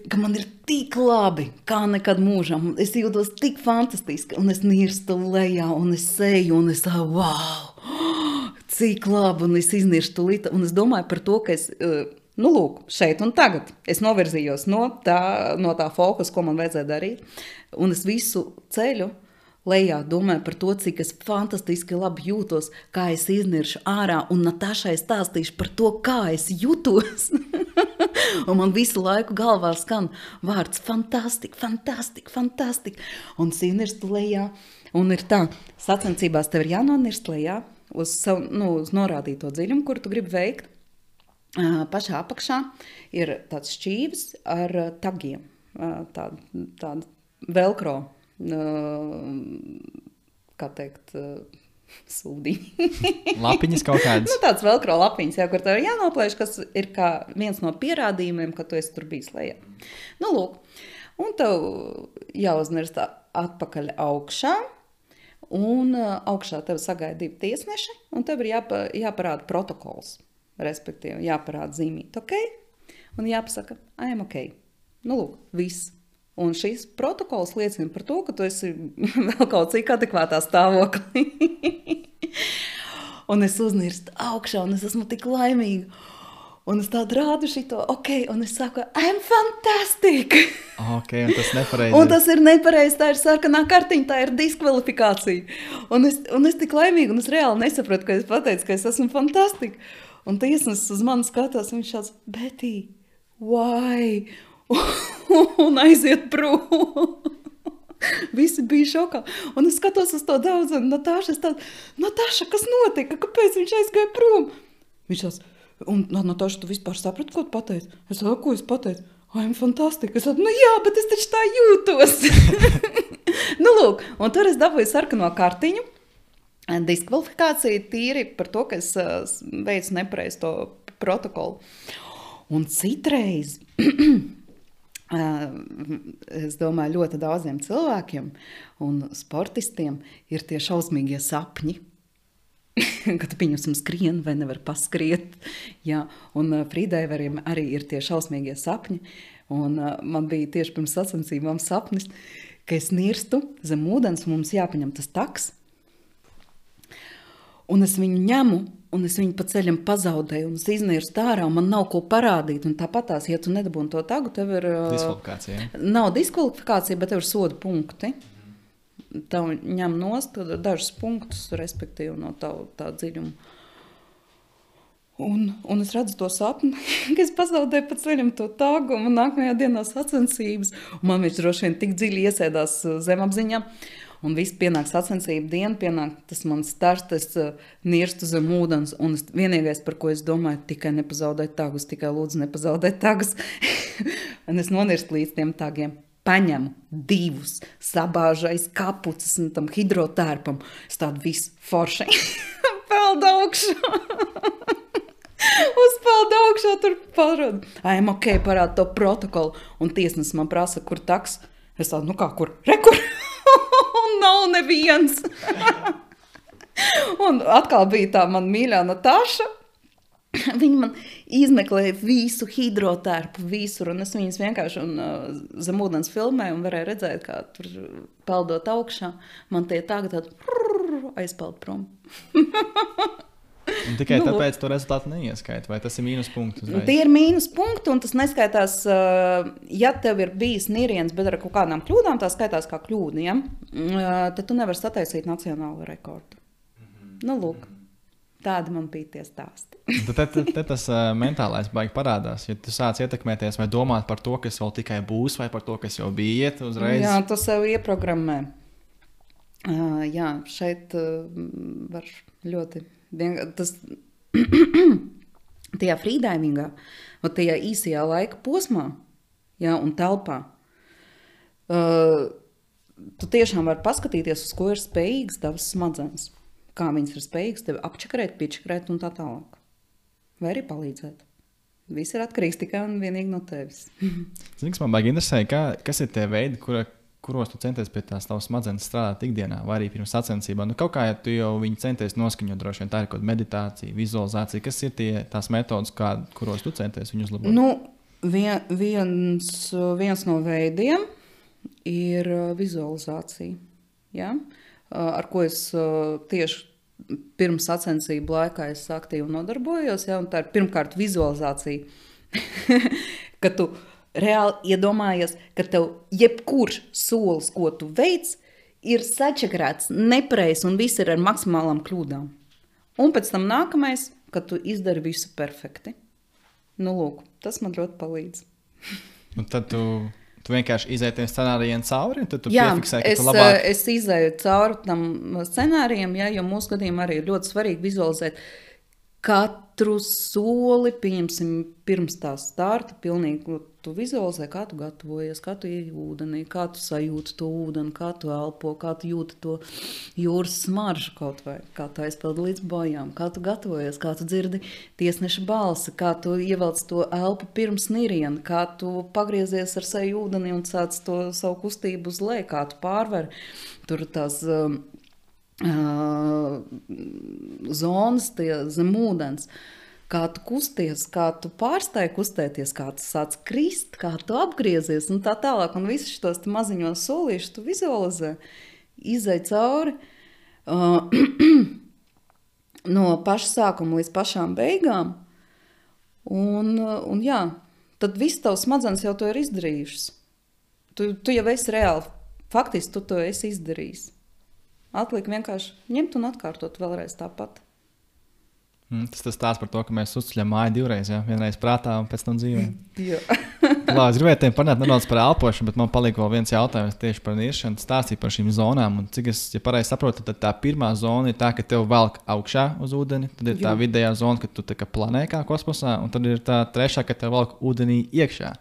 ka man ir tik labi, kā nekad mūžam. Es jūtos tik fantastiski, un es nirstu lejā, un es seju, un es wow, cik labi, un es iznirstu līta, un es domāju par to, ka es, nu lūk, šeit un tagad, es novirzījos no tā fokusa, ko man vajadzēja darīt, un es visu ceļu lejā domāju par to, cik es fantastiski labi jūtos, kā es izniršu ārā, un Natašai stāstīšu par to, kā es jūtos. Un man visu laiku galvā skan vārds fantastika, fantastika, fantastika. Un es iznirstu lejā, un ir tā, sacensībās tev ir jānonirst lejā uz norādīto dziļumu, kuru tu gribi veikt. Pašā apakšā ir tāds šķīvis ar tagiem, tāda velcro, kā teikt, sūdiņi. Lapiņas kaut kādas. Tāds velcro lapiņas, kur tev ir jānoplēš, kas ir kā viens no pierādījumiem, ka tu esi tur bijis lejā. Nu, lūk, un tev jāuznirst atpakaļ augšā, un augšā tev sagaida 2 tiesneši, un tev ir jāparāda protokols, respektīvi jāparāda zīmīt, ok, un jāpasaka, I am ok. Nu, lūk, viss. Un šis protokols liecina par to, ka tu esi vēl kaut cik adekvātā stāvoklī. Un es uznirstu augšā, un es esmu tik laimīga. Un es tādu rādu šito, ok, un es saku, I'm fantastic! Ok, un tas nepareizi. Un tas ir nepareizi, tā ir sarkanā kartiņa, tā ir diskvalifikācija. Un es tik laimīga, un es reāli nesapratu, ka es pateicu, ka es esmu fantastic. Un tiesnes uz mani skatās, un viņš šāds, Betty, why? Un aiziet prom. Visi bija šokā. Un es skatos uz to daudz, un Natāša, kas notika? Kāpēc viņš aizgāja prom? Viņš tās, un Natāša, tu vispār saprati, ko tu pateici? Es saku, ko es pateicu? I'm fantastic. Es saku, nu jā, bet es taču tā jūtos. Nu lūk, un tur es dabūju sarkano kartiņu. Diskvalifikācija tīri par to, ka es veicu nepareizi to protokolu. Un citreiz, es domāju, ļoti daudziem cilvēkiem un sportistiem ir tie šausmīgie sapņi, kad pieņemsim skrien vai nevar paskriet. Jā, un frīdaiveriem arī ir tie šausmīgie sapņi. Un man bija tieši pirms sacensībām sapnis, ka es nirstu zem ūdens, un mums jāpaņem tas taks. Un es viņu ņemu, un es viņu pa ceļam pazaudēju, un es iznirstu ārā, un man nav ko parādīt. Un tāpatās, ja tu nedabūni to tagu, tev ir... Diskvalifikācija. Nav diskvalifikācija, bet tev ir soda punkti. Tev ņem nost dažus punktus, respektīvi, no tā dziļuma. Un es redzu to sapni, ka es pazaudēju pa ceļam to tagu, un nākamajā dienā sacensības. Un man viņš droši vien tik dziļi iesēdās zemapziņā. Un viss pienāk sacensību diena, pienāk tas mans starts, es nirstu zem ūdens, un vienīgais, par ko es domāju, tikai nepazaudēt tagus, tikai lūdzu nepazaudēt tagus. Un es nonirstu līdz tiem tagiem. Paņemu 2, sabāžu aiz kapucas un tam hidrotērpam. Es tādu visu forši peldu augšā. Uzpeldu augšā, tur parādu. I'm ok, parādu to protokolu. Un tiesnes man prasa, kur taks. Es tādu, nu kā, kur? Rekur! Nav neviens. Un atkal bija tā man mīļā Natāša. Viņa man izmeklēja visu hidrotērpu, visur, un es viņas vienkārši zem ūdens filmēju un varēju redzēt, kā tur peldot augšā. Man tie tagad aizpeld prom. Un tikai tāpēc to rezultātu neieskaita, vai tas ir mīnus punkts uzreiz? Tie ir mīnus punkti, un tas neskaitās, ja tev ir bijis niriens, bet ar kaut kādām kļūdām, tā skaitās kā kļūda, ja? Tad tu nevar sataisīt nacionālo rekordu. Nu, lūk, tādi man bija tie stāsti. Tad tas mentālais baigi parādās, ja tu sāc ietekmēties vai domāt par to, kas vēl tikai būs, vai par to, kas jau bija iet uzreiz. Jā, tu sev ieprogrammē. Jā, šeit var ļoti... Tas tajā freedivingā, tajā īsajā laika posmā, jā, un telpā, tu tiešām vari paskatīties, uz ko ir spējīgs tavs smadzenes. Kā viņas ir spējīgas tevi apčakarēt, piečakarēt un tā tālāk. Vai arī palīdzēt. Viss ir atkarīgs tikai un vienīgi no tevis. Zini, kas man baigi interesē, kas ir tie veidi, kuros tu centies pie tās tavas smadzenes strādāt ikdienā, vai arī pirms sacensībām. Nu, kaut kā, ja tu jau viņu centies noskaņot, droši vien tā ir kaut meditācija, vizualizācija. Kas ir tās metodas, kuros tu centies viņu uzlabot? Nu, viens no veidiem ir vizualizācija, ja? Ar ko es tieši pirms sacensību laikā es aktīvi nodarbojos. Ja? Un tā ir pirmkārt vizualizācija, ka tu reāli iedomājies, ka tev jebkurš solis, ko tu veic, ir sačakrēts, nepareizs un viss ir ar maksimālām kļūdām. Un pēc tam nākamais, ka tu izdari visu perfekti. Nu, lūk, tas man ļoti palīdz. Un tad tu vienkārši izēji tiem scenārijiem cauri, un tad tu piefiksē, ka tu labāk... Jā, es izēju cauri tam scenārijiem, ja, jo mūsu gadījumā arī ir ļoti svarīgi vizualizēt katru soli, pieņemsim, pirms tā starta, pilnīgi tu vizualizē, kā tu gatavojies, kā tu ieej ūdenī, kā tu sajūti to ūdeni, kā tu elpo, kā tu jūti to jūras smaržu kaut vai, kā tu aizpeldi līdz bojām, kā tu gatavojies, kā tu dzirdi tiesneša balsi, kā tu ievelc to elpu pirms niriena, kā tu pagriezies ar seju ūdenī un sāc to savu kustību uz leju, kā tu pārver tur tās zonas zem ūdens, kā tu kusties, kā tu pārstāji kustēties, kā tu sāc krist, kā tu apgriezies un tā tālāk. Un visus šos maziņos solīšus tu vizualizē, izej cauri no paša sākuma līdz pašām beigām. Un jā, tad viss tavs smadzenes jau to ir izdarījušas. Tu jau esi reāli, faktiski tu to esi izdarījis. Atliek vienkārši ņemt un atkārtot vēlreiz tāpat. Tas stāsts par to, ka mēs uzceļam māju divreiz, ja? Vienreiz prātā un pēc tam dzīvē. Jā. Es gribēju tiem parunāt nedaudz par elpošanu, bet man palika vēl viens jautājums tieši par niršanu. Stāstīja par šīm zonām. Un cik es pareizi saprotu, tad tā pirmā zona ir tā, ka tev velk augšā uz ūdeni. Tad ir tā vidējā zona, ka tu tā kā planē kā kosmosā. Un tad ir tā trešā, ka tev velk ūdenī iekšā.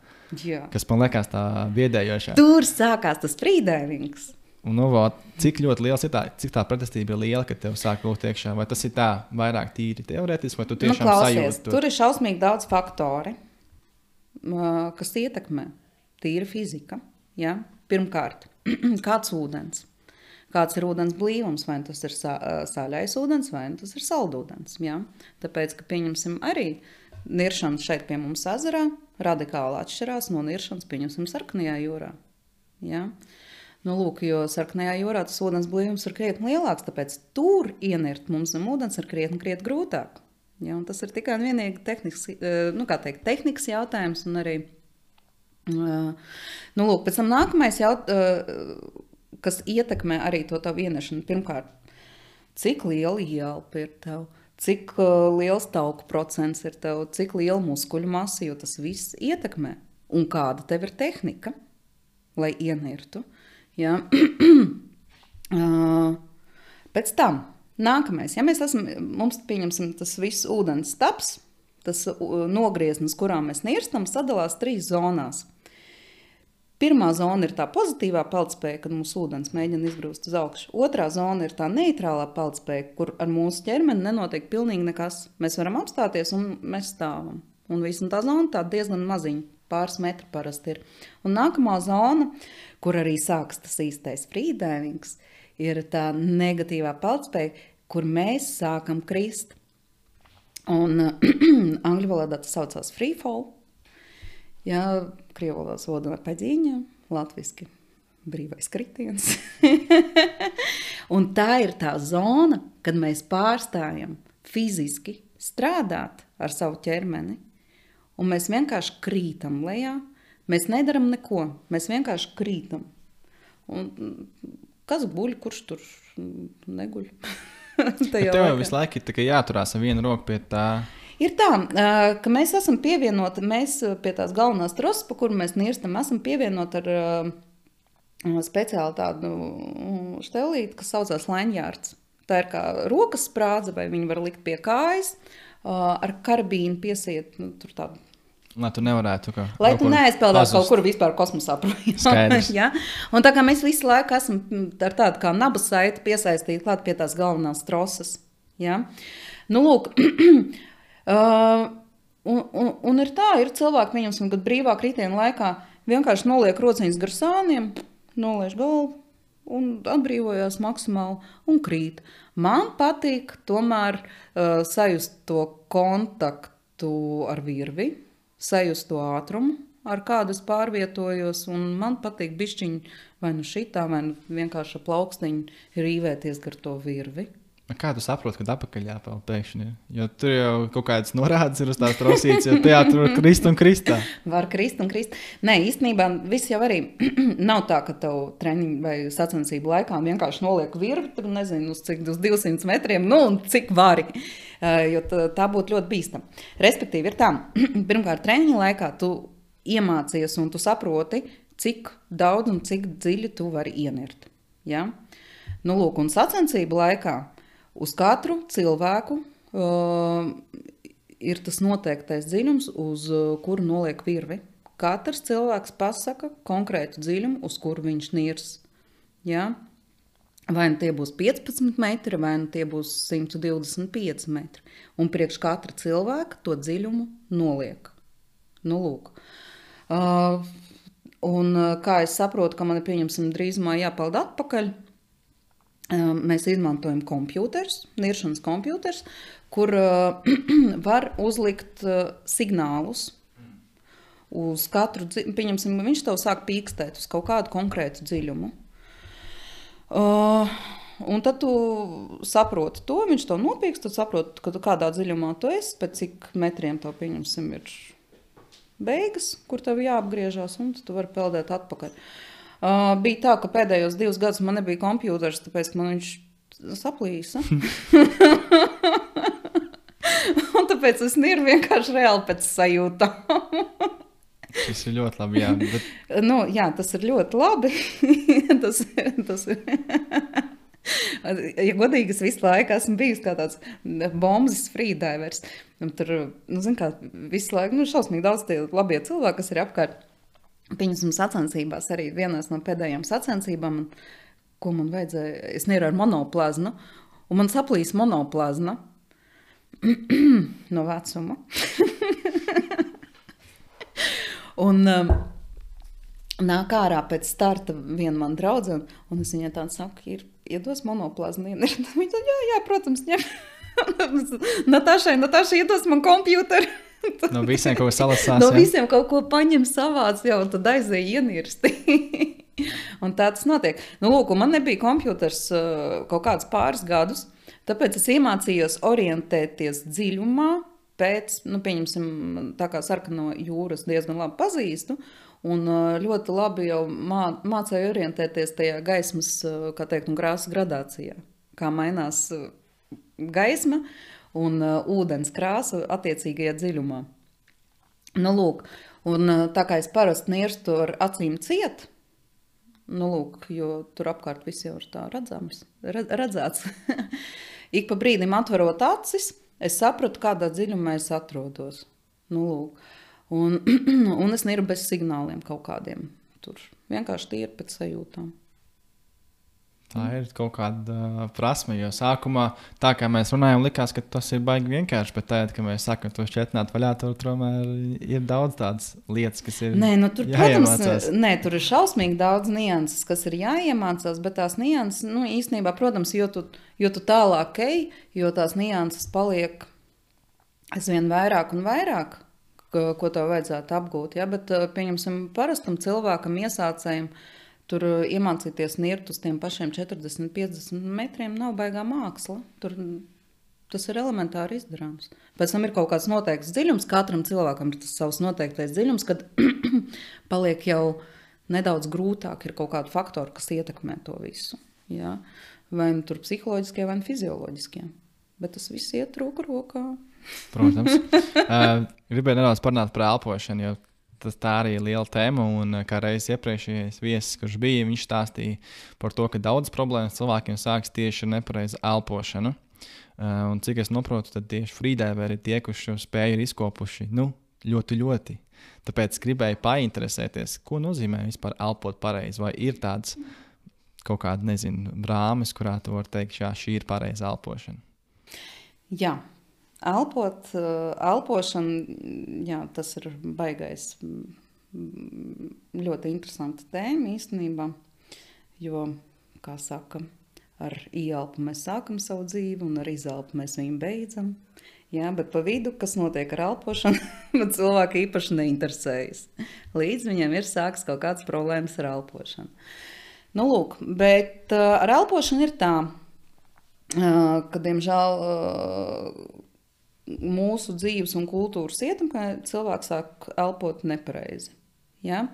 Jā. Kas man liekas tā biedējošā. Tur sākās tas freedivings. Un cik ļoti liels ir cik tā pretestība ir liela, ka tev sāk lūgt iekšā? Vai tas ir tā vairāk tīri teorētiski, vai tu tiešām sajūti to? Tur ir šausmīgi daudz faktori, kas ietekmē. Tīra fizika. Ja? Pirmkārt, kāds ūdens? Kāds ir ūdens blīvums? Vai tas ir sāļais ūdens, vai tas ir saldūdens? Ja? Tāpēc, ka pieņemsim arī niršanas šeit pie mums ezerā radikāli atšķirās no niršanas, pieņemsim, Sarkanajā jūrā. Ja? Nu, lūk, jo Sarkanajā jūrā tas ūdens blīvums ir krietni lielāks, tāpēc tur ienirt mums zem ūdens ir krietni grūtāk. Ja, un tas ir tikai un vienīgi tehnikas jautājums. Un arī, lūk, pēc tam nākamais kas ietekmē arī to tavu ienešanu. Pirmkārt, cik liela ielpa ir tev, cik liels tauku procents ir tev, cik liela muskuļu masa, jo tas viss ietekmē. Un kāda tev ir tehnika, lai ienirtu. Ja. Pēc tam nākamais, ja mums pieņemsim tas viss ūdens taps, tas nogrieznis, kurā mēs nirstam, sadalās 3 zonās. Pirmā zona ir tā pozitīvā peldspēja, kad mūsu ūdens mēģina izbrūst uz augšu. Otrā zona ir tā neitrālā peldspēja, kur ar mūsu ķermeni nenotiek pilnīgi nekas. Mēs varam apstāties un mēs stāvam. Un tā zona tā diezgan maziņa, pāris metri parasti ir. Un nākamā zona, kur arī sāks tas īstais freedivings, ir tā negatīvā peldspēja, kur mēs sākam krist. Un angļu valodā tas saucās freefall. Jā, krievu valodā soda ar paģīņa, latviski brīvais kritiens. Un tā ir tā zona, kad mēs pārstājam fiziski strādāt ar savu ķermeni. Un mēs vienkārši krītam lejā. Mēs nedaram neko. Mēs vienkārši krītam. Un kas guļ, kurš tur neguļ? Tev jau visu laiku ir jāturās ar vienu roku pie tā. Ir tā, ka mēs esam pievienoti, mēs pie tās galvenās trosas, pa kuru mēs nirstam, esam pievienoti ar speciāli tādu štelīti, kas saucās lanyards. Tā ir kā rokas sprādze, vai viņi var likt pie kājas, ar karabīnu piesiet, tur tādu. Lai tu nevarētu Lai tu neaizpeldās kaut kur vispār kosmosā projām. Ja? Un tā kā mēs visu laiku esam ar tādu kā nabas saiti piesaistīti klāt pie tās galvenās trosas. Ja? Nu, lūk, un ir tā, ir cilvēki, pieņemsim, kad brīvā kritiena laikā vienkārši noliek rociņas gar sāniem, noliež galvu un atbrīvojās maksimāli un krīt. Man patīk tomēr sajust to kontaktu ar virvi, sajust to ātrumu, ar kādu es pārvietojos, un man patīk bišķiņi vai nu šitā, vai nu vienkārši plaukstiņi rīvēties gar to virvi. Kā tu saproti, kad apakaļ jāpeld pēkšņi? Jo tur jau kaut kādas norādes ir uz tās trosītes, jo tajā tur krist un kristā. Var krist un krist. Nē, īstenībā viss jau arī nav tā, ka tev treniņu vai sacensību laikā vienkārši noliek virvi, tur nezinu, uz cik, uz 200 metriem, nu un cik vari, jo tā būtu ļoti bīstam. Respektīvi ir tā, pirmkārt treniņu laikā tu iemācies un tu saproti, cik daudz un cik dziļi tu vari ienirt. Ja? Nu, lūk, un sacensību laikā uz katru cilvēku ir tas noteiktais dziļums, uz kuru noliek virvi. Katrs cilvēks pasaka konkrētu dziļumu, uz kuru viņš nirs. Ja? Vai nu tie būs 15 metri, vai nu tie būs 125 metri. Un priekš katra cilvēka to dziļumu noliek. Nu, lūk. Un kā es saprotu, ka man pieņemsim drīzumā jāpeld atpakaļ, mēs izmantojam niršanas kompjūters, kur var uzlikt signālus uz katru, pieņemsim, viņš tev sāk pīkstēt uz kaut kādu konkrētu dziļumu. Un tad tu saproti to, viņš to nopīkst, tu saproti, ka tu kādā dziļumā tu esi, pēc cik metriem tev, pieņemsim, ir beigas, kur tev jāapgriežās, un tu vari peldēt atpakaļ. Bija tā, ka pēdējos 2 gadus man nebija kompjūters, tāpēc man viņš saplīsa. Un tāpēc es nirvu vienkārši reāli pēc sajūtām. Tas ir ļoti labi, jā. Bet... Jā, tas ir ļoti labi. tas ir. Ja godīgi, es visu laiku esmu bijusi kā tāds bombas freedivers. Tur, kā, visu laiku, šausmīgi daudz tie labie cilvēki, kas ir apkārt. Pieņemsim sacensībās arī vienās no pēdējām sacensībām, ko man vajadzēja, es nirvu ar monoplazmu, un man saplīs monoplazma no vecuma. Un nāk ārā pēc starta viena man draudze, un es viņai tādu saku, iedos monoplazmu. Viņa tā, jā, protams, ņem. Natāša, iedos man kompjūteri. No visiem kaut ko salasās. No visiem kaut ko paņem savāds, jau, un tad aizēja ienirsti. Un tā tas notiek. Lūk, man nebija kompjūters kaut kādus pāris gadus, tāpēc es iemācījos orientēties dziļumā, pēc, pieņemsim, tā kā Sarkano jūras diezgan labi pazīstu, un ļoti labi jau mācēju orientēties tajā gaismas, kā teikt, un krāsas gradācijā, kā mainās gaisma un ūdens krāsa attiecīgajā dziļumā. Lūk, un tā kā es parasti nirstu ar acīm ciet, lūk, jo tur apkārt viss jau ir tā redzēts. Ik pa brīdim atverot acis, es sapratu, kādā dziļumā es atrodos. Lūk. Un es nirvu bez signāliem kaut kādiem. Tur vienkārši tīri pēc sajūtām. Tā ir kaut kāda prasme, jo sākumā, tā kā mēs runājam, likās, ka tas ir baigi vienkārši, bet tagad, kad mēs sakam, to šķetnāt vaļā, tur tomēr ir daudz tādas lietas, kas ir tur, jāiemācās. Protams, tur ir šausmīgi daudz nianses, kas ir jāiemācās, bet tās nianses, īstenībā, protams, jo tu tālāk ej, jo tās nianses paliek aizvien vairāk un vairāk, ko tev vajadzētu apgūt, ja? Bet, pieņemsim, parastam cilvēkam, iesācējiem, tur iemācīties nirt uz tiem pašiem 40-50 metriem nav baigā māksla. Tas ir elementāri izdarāms. Pēc tam ir kaut kāds noteikts dziļums, katram cilvēkam ir tas savs noteiktais dziļums, kad paliek jau nedaudz grūtāk, ir kaut kādi faktori, kas ietekmē to visu. Ja? Vai nu tur psiholoģiskie, vai nu fizioloģiskie. Bet tas viss iet roku rokā. Protams. Gribēju nedaudz parunāt par elpošanu, jo tā arī ir liela tēma, un kā reiz iepriekšējais viesis, kurš bija, viņš stāstīja par to, ka daudz problēmas cilvēkiem sāks tieši ar nepareizu elpošanu. Un cik es noprotu, tad tieši freediveri ir tie, kurš šo spēju ir izkopuši, ļoti. Tāpēc gribēju painteresēties, ko nozīmē vispār elpot pareizi, vai ir tāds kaut kāda, brāmes, kurā tu vari teikt, šī ir pareiza elpošana. Jā. Elpošana, jā, tas ir baigais, ļoti interesanta tēma īstenībā, jo, kā saka, ar ieelpu mēs sākam savu dzīvi un ar izelpu mēs viņu beidzam. Jā, bet pa vidu, kas notiek ar elpošanu, bet cilvēki īpaši neinteresējas. Līdz viņiem ir sāks kaut kādas problēmas ar elpošanu. Lūk, bet ar elpošanu ir tā, ka, diemžēl, mūsu dzīves un kultūras ietekmē cilvēks sāk elpot nepareizi. Ja?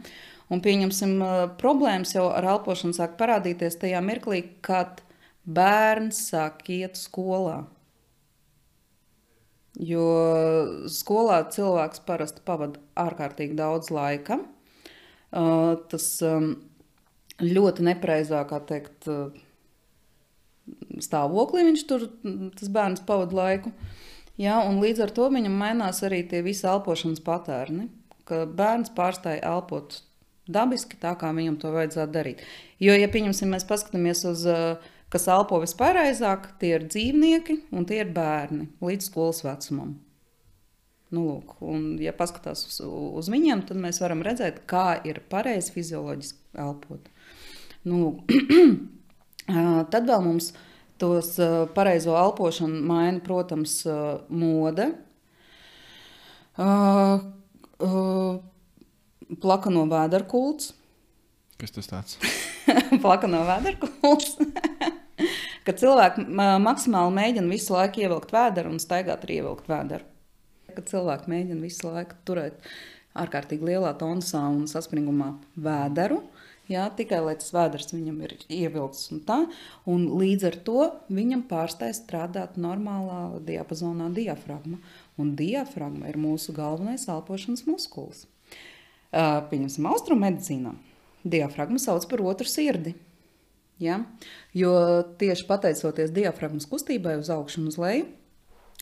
Un pieņemsim, problēmas jau ar elpošanu sāk parādīties tajā mirklī, kad bērns sāk iet skolā. Jo skolā cilvēks parasti pavada ārkārtīgi daudz laika. Tas ļoti nepareizā, kā teikt, stāvoklī viņš tur, tas bērns pavada laiku. Ja, un līdz ar to viņam mainās arī tie visi elpošanas patērni, ka bērns pārstāja elpot dabiski tā, kā viņam to vajadzētu darīt. Jo, ja pieņemsim, mēs paskatāmies uz, kas elpo vispareizāk, tie ir dzīvnieki un tie ir bērni līdz skolas vecumam. Lūk, un ja paskatās uz viņiem, tad mēs varam redzēt, kā ir pareizi fizioloģiski elpot. Lūk. Tad vēl mums tos pareizo elpošanu maina, protams, mode. Plakano vēderkults. Kas tas tāds? Plakano vēderkults. Kad cilvēki maksimāli mēģina visu laiku ievilkt vēderu un staigāt ar ievilkt vēderu. Kad cilvēki mēģina visu laiku turēt ārkārtīgi lielā tonusā un saspringumā vēderu, jā, tikai lai tas vēders viņam ir ievilkts un tā, un līdz ar to viņam pārstāj strādāt normālā diapazonā diafragma. Un diafragma ir mūsu galvenais elpošanas muskulis. Pieņemsim austrummedicīnā. Diafragma sauc par otru sirdi. Ja? Jo tieši pateicoties diafragmas kustībai uz augšu un uz leju,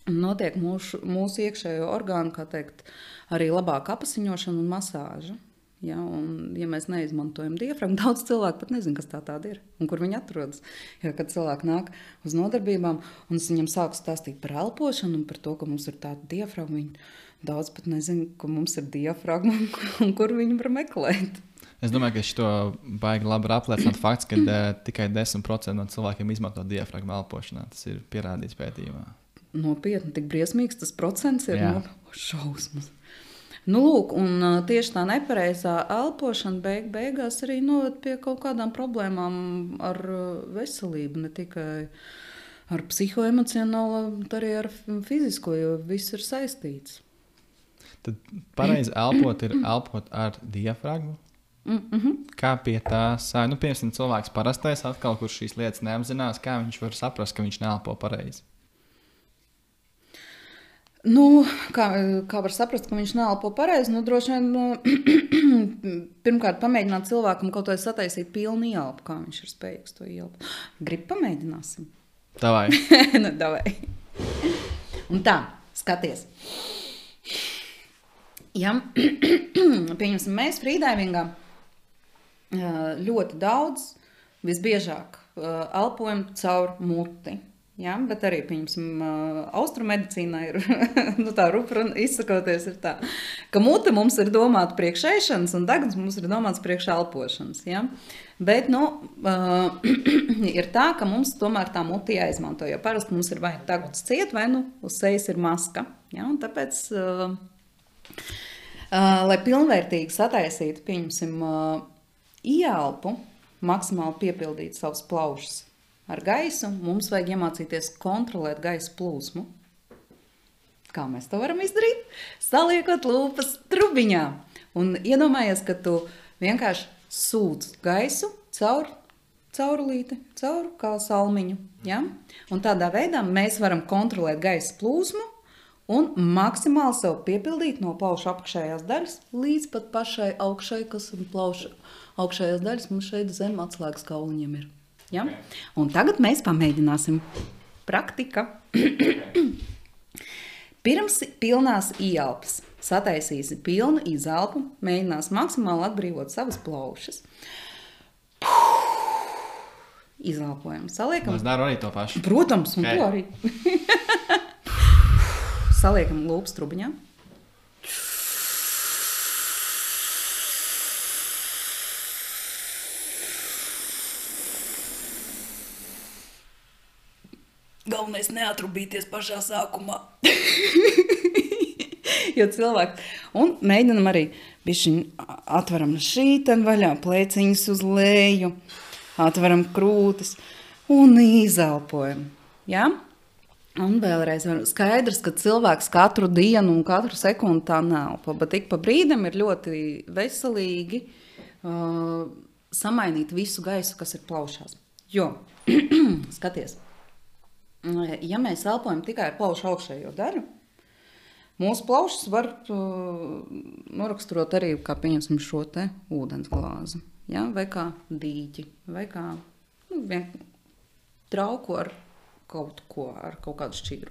notiek mūsu iekšējo orgānu, kā teikt, arī labāka apasiņošana un masāža. Ja? Un, ja mēs neizmantojam diafragmu, daudz cilvēku pat nezin, kas tā tāda ir un kur viņi atrodas. Ja, kad cilvēki nāk uz nodarbībām un es viņam sāku stāstīt par elpošanu un par to, ka mums ir tāda diafragma, viņi daudz pat nezin, ka mums ir diafragma un kur viņi var meklēt. Es domāju, ka šito baigi labi apliecināt fakts, ka tikai 10% no cilvēkiem izmanto diafragmu elpošanā. Tas ir pierādīts pētījumā. Nopietni, tik briesmīgs tas procents ir šausmas. Nu, lūk, un tieši tā nepareizā elpošana beigās arī noved pie kaut kādām problēmām ar veselību, ne tikai ar psihoemocionālo, bet arī ar fizisko, jo viss ir saistīts. Tad pareizi elpot ir elpot ar diafragmu? Kā pie tā sāja? Nu, piemēram, cilvēks parastais atkal, kurš šīs lietas neapzinās, kā viņš var saprast, ka viņš neelpo pareizi? Nu, kā var saprast, ka viņš neelpo pareizi? Nu, droši vien pirmkārt pamēģināt cilvēkam kaut vai sataisīt pilnu ielpu, kā viņš ir spējīgs to ielpu. Grib pamēģināsim? Davai. Nu, davai. Un tā, skaties. Ja, pieņemsim, mēs frīdaivingā ļoti daudz, visbiežāk elpojam caur muti. Ja, bet arī, pieņemsim, austrummedicīnā ir, nu tā rupra izsakoties ir tā, ka mute mums ir domāta priekš ēšanas un deguns mums ir domāts priekš elpošanas. Ja? Bet, nu, ir tā, ka mums tomēr tā muti jāizmanto, jo parasti mums ir vai deguns ciet, vai nu uz sejas ir maska. Ja? Un tāpēc, lai pilnvērtīgi sataisītu, pieņemsim, ieelpu, maksimāli piepildīt savus plaušas ar gaisu, mums vajag iemācīties kontrolēt gaisa plūsmu. Kā mēs to varam izdarīt? Saliekot lūpas trubiņā. Un iedomājies, ka tu vienkārši sūc gaisu caur caurulīti, caur kā salmiņu. Ja? Un tādā veidā mēs varam kontrolēt gaisa plūsmu un maksimāli sev piepildīt no plauša apakšējās daļas līdz pat pašai augšai, kas ir plauša augšējās daļas, mums šeit zem atslēgas kauliņiem ir. Ja? Un tagad mēs pamēģināsim. Praktika. Pirms pilnās ieelpas sataisīsi pilnu izelpu, mēģinās maksimāli atbrīvot savas plaušas. Izelpojam, saliekam. Es daru arī to pašu. Protams, un to arī. Saliekam lūpas trubiņā. Galvenais neatrubīties pašā sākumā. Jo cilvēki. Un mēģinam arī bišķiņ atveram šīten vaļā, plēciņas uz leju, atveram krūtis un izelpojam. Ja? Un vēlreiz skaidrs, ka cilvēks katru dienu un katru sekundi tā neelpo, bet ik pa brīdim ir ļoti veselīgi samainīt visu gaisu, kas ir plaušās. Jo, skaties, ja mēs elpojam tikai ar plaušu augšējo daļu, mūsu plaušas var noraksturot arī, kā pieņemsim šo te ūdens glāzi, ja? Vai kā dīķi, vai kā trauku ar kaut ko, ar kaut kādu šķīru.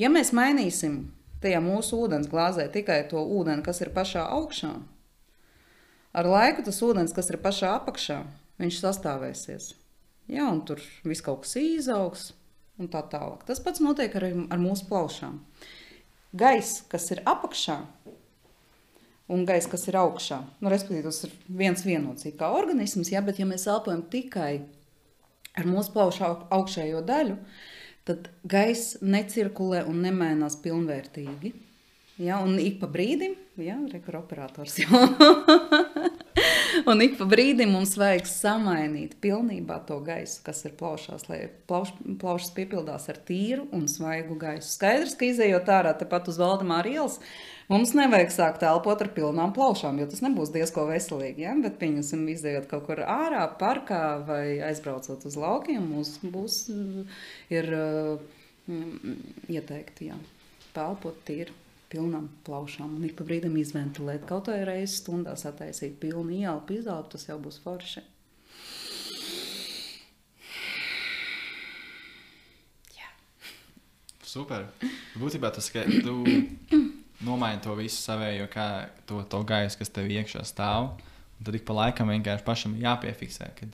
Ja mēs mainīsim tajā mūsu ūdens glāzē tikai to ūdeni, kas ir pašā augšā, ar laiku tas ūdens, kas ir pašā apakšā, viņš sastāvēsies. Ja? Un tur viss kaut kas izaugs un tā tālāk. Tas pats notiek arī ar mūsu plaušām. Gaiss, kas ir apakšā un gaiss, kas ir augšā, nu, respektīvi, tas ir viens vienots kā organisms, ja, bet ja mēs elpojam tikai ar mūsu plaušu augšējo daļu, tad gaiss necirkulē un nemainās pilnvērtīgi. Ja, un ik pa brīdim, ja, rekur operators jau. Un ik pa brīdim mums vajag samainīt pilnībā to gaisu, kas ir plaušās, lai plaušas piepildās ar tīru un svaigu gaisu. Skaidrs, ka izējot ārā tepat uz Valdemāra ielas, mums nevajag sākt elpot ar pilnām plaušām, jo tas nebūs diezko veselīgi, ja? Bet pieņemsim izējot kaut kur ārā, parkā vai aizbraucot uz laukiem, mums ir ieteikti, jā, pelpot tīru. Pilnām plaušām un ik pa brīdim izventilēt. Kaut vai reizes stundā sataisīt pilnu ielpu, izelpu, tas jau būs forši. Jā. Super. Būtībā tas, ka tu nomaini to visu savējo, kā to gaisu, kas tev iekšā stāv, un tad ik pa laikam vienkārši pašam jāpiefiksē, kad,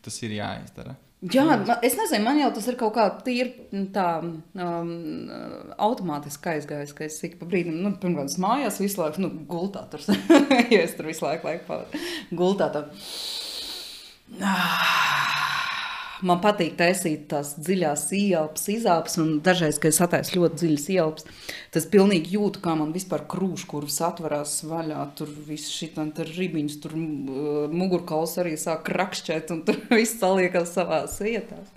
tas ir jāizdara. Jā, es nezinu, man jau tas ir kaut kā tīri tā automātiski aizgājis, ka es ik pa brīdim, pirmkārt, mājās visu laiku, gultā tur, jo es tur visu laiku pavadu, gultā tā. Man patīk taisīt tās dziļās ielpas, izelpas, un dažreiz, kad es ataisu ļoti dziļas ielpas, tas pilnīgi jūtu, kā man vispār krūškurvs atvarās vaļā, tur viss šitam, tur ribiņas, tur mugurkauls arī sāk rakšķēt, un tur viss saliekas savās vietās.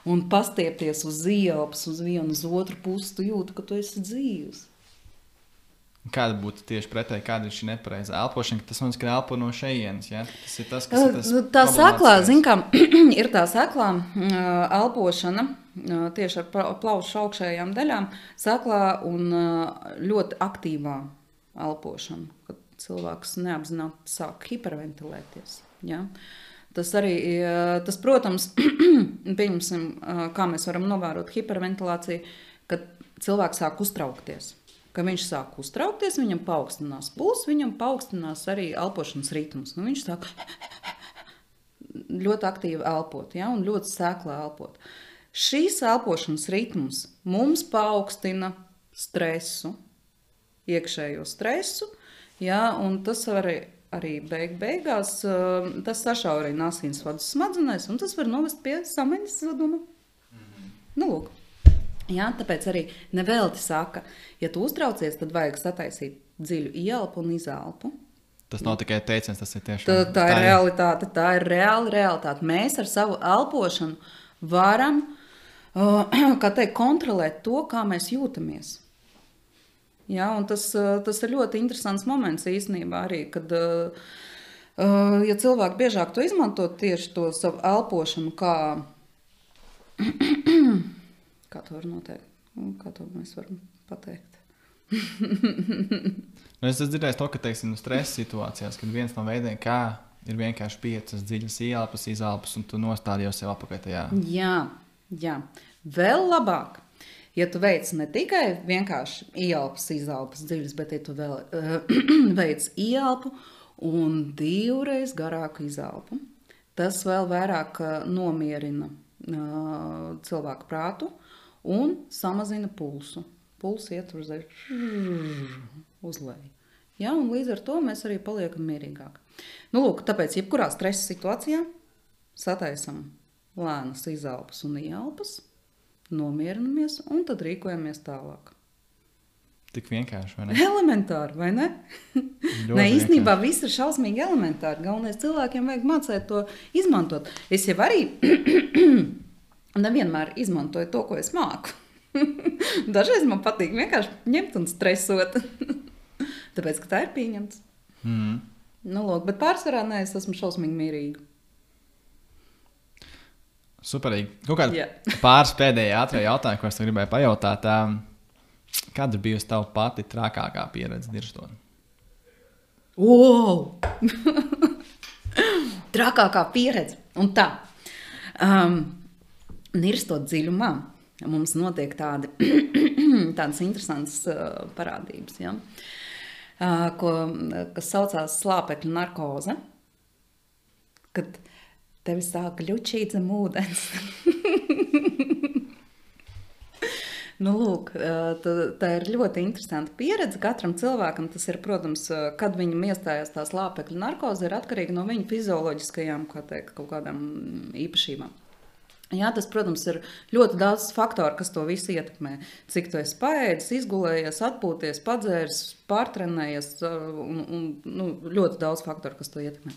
Un pastiepties uz ielpas, uz vienu, uz otru pusi, tu jūti, ka tu esi dzīvs. Kāda būtu tieši pretēji, kāda ir šī nepareizā elpošana? Tas mums, ka elpo no šejienes, ja? Tas ir tas, kas ir tas tā seklā, zin kā, ir tā seklā elpošana tieši ar plaušu augšējām daļām, seklā un ļoti aktīvā elpošana, kad cilvēks neapzināti sāk hiperventilēties. Ja? Tas arī, protams, pieņemsim, kā mēs varam novērot hiperventilāciju, kad cilvēks sāk uztraukties. Kad viņš sāk uztraukties, viņam paaugstinās pulss, viņam paaugstinās arī elpošanas ritms. Viņš sāk ļoti aktīvi elpot, ja, un ļoti sēklā elpot. Šīs elpošanas ritms mums paaugstina stresu, iekšējo stresu, ja, un tas arī beigās, tas sašaurina asinsvadu smadzenēs, un tas var novest pie samaņas zaduma. Lūk. Jā, tāpēc arī nevelti saka, ja tu uztraucies, tad vajag sataisīt dziļu ielpu un izelpu. Tas nav tikai teiciens, tas ir tiešām. Tā ir realitāte, tā ir realitāte. Mēs ar savu elpošanu varam, kā teikt, kontrolēt to, kā mēs jūtamies. Jā, un tas ir ļoti interesants moments īstenībā arī, kad, ja cilvēki biežāk to izmanto tieši to savu elpošanu, kā to var noteikt? Kā to mēs varam pateikt? Es dzirdēju to, ka, teiksim, stresa situācijās, kad viens no veidiem, kā ir vienkārši 5 dziļas ielpas, izelpas, un tu nostādi jau sev apakaļ tajā. Jā. Vēl labāk, ja tu veic ne tikai vienkārši ielpas, izelpas dziļas, bet ja tu vēl veic ielpu un 2 reiz garāku izelpu, tas vēl vairāk nomierina cilvēku prātu, un samazina pulsu. Pulsu iet uz leju. Ja, un līdz ar to mēs arī paliekam mierīgāk. Lūk, tāpēc jebkurā stresa situācijā sataisam lēnas izelpas un ielpas, nomierinamies un tad rīkojamies tālāk. Tik vienkārši, vai ne? Elementāri, vai ne? Nē, īstenībā viss ir šausmīgi elementāri. Galvenais cilvēkiem vajag mācēt to izmantot. Es jau arī nevienmēr izmantoju to, ko es māku. Dažreiz man patīk vienkārši ņemt un stresot. Tāpēc, ka tā ir pieņemts. Lūk, bet pārsvarā nē, es esmu šausmīgi mierīga. Superīgi. Kaut kāda pāris pēdējā ātrā jautājuma, ko es gribēju pajautāt. Kāda ir bijusi tava pati trakākā pieredze dirstot? Trakākā pieredze. Un tā. Nirstot dziļumā, mums notiek tādas interesantas parādības, ja? Kas saucās slāpekļu narkoze, kad tevi sāk ļučīt zem ūdens. Nu, lūk, tā ir ļoti interesanta pieredze. Katram cilvēkam tas ir, protams, kad viņam iestājās tā slāpekļa narkoze, ir atkarīga no viņa fizioloģiskajām, kaut kādām īpašībām. Jā, tas, protams, ir ļoti daudz faktoru, kas to visu ietekmē. Cik tu esi paēdis, izgulējies, atpūties, padzēris, pārtrenējies, ļoti daudz faktoru, kas to ietekmē.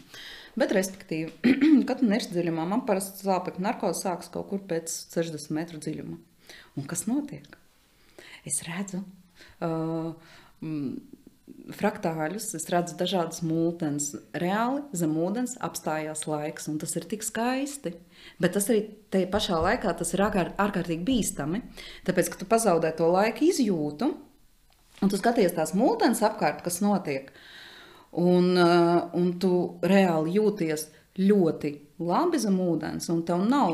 Bet, respektīvi, kad tu nirsti dziļumā, man parasti slāpekļa narkoze sākas kaut kur pēc 60 metru dziļuma. Un kas notiek? Es redzu fraktāļus, es redzu dažādas multenes. Reāli zem ūdens apstājās laiks, un tas ir tik skaisti. Bet tas arī tajā pašā laikā tas ir ārkārtīgi bīstami, tāpēc, ka tu pazaudē to laiku izjūtu, un tu skaties tās multenes apkārt, kas notiek, un tu reāli jūties ļoti labi zem ūdens, un tev nav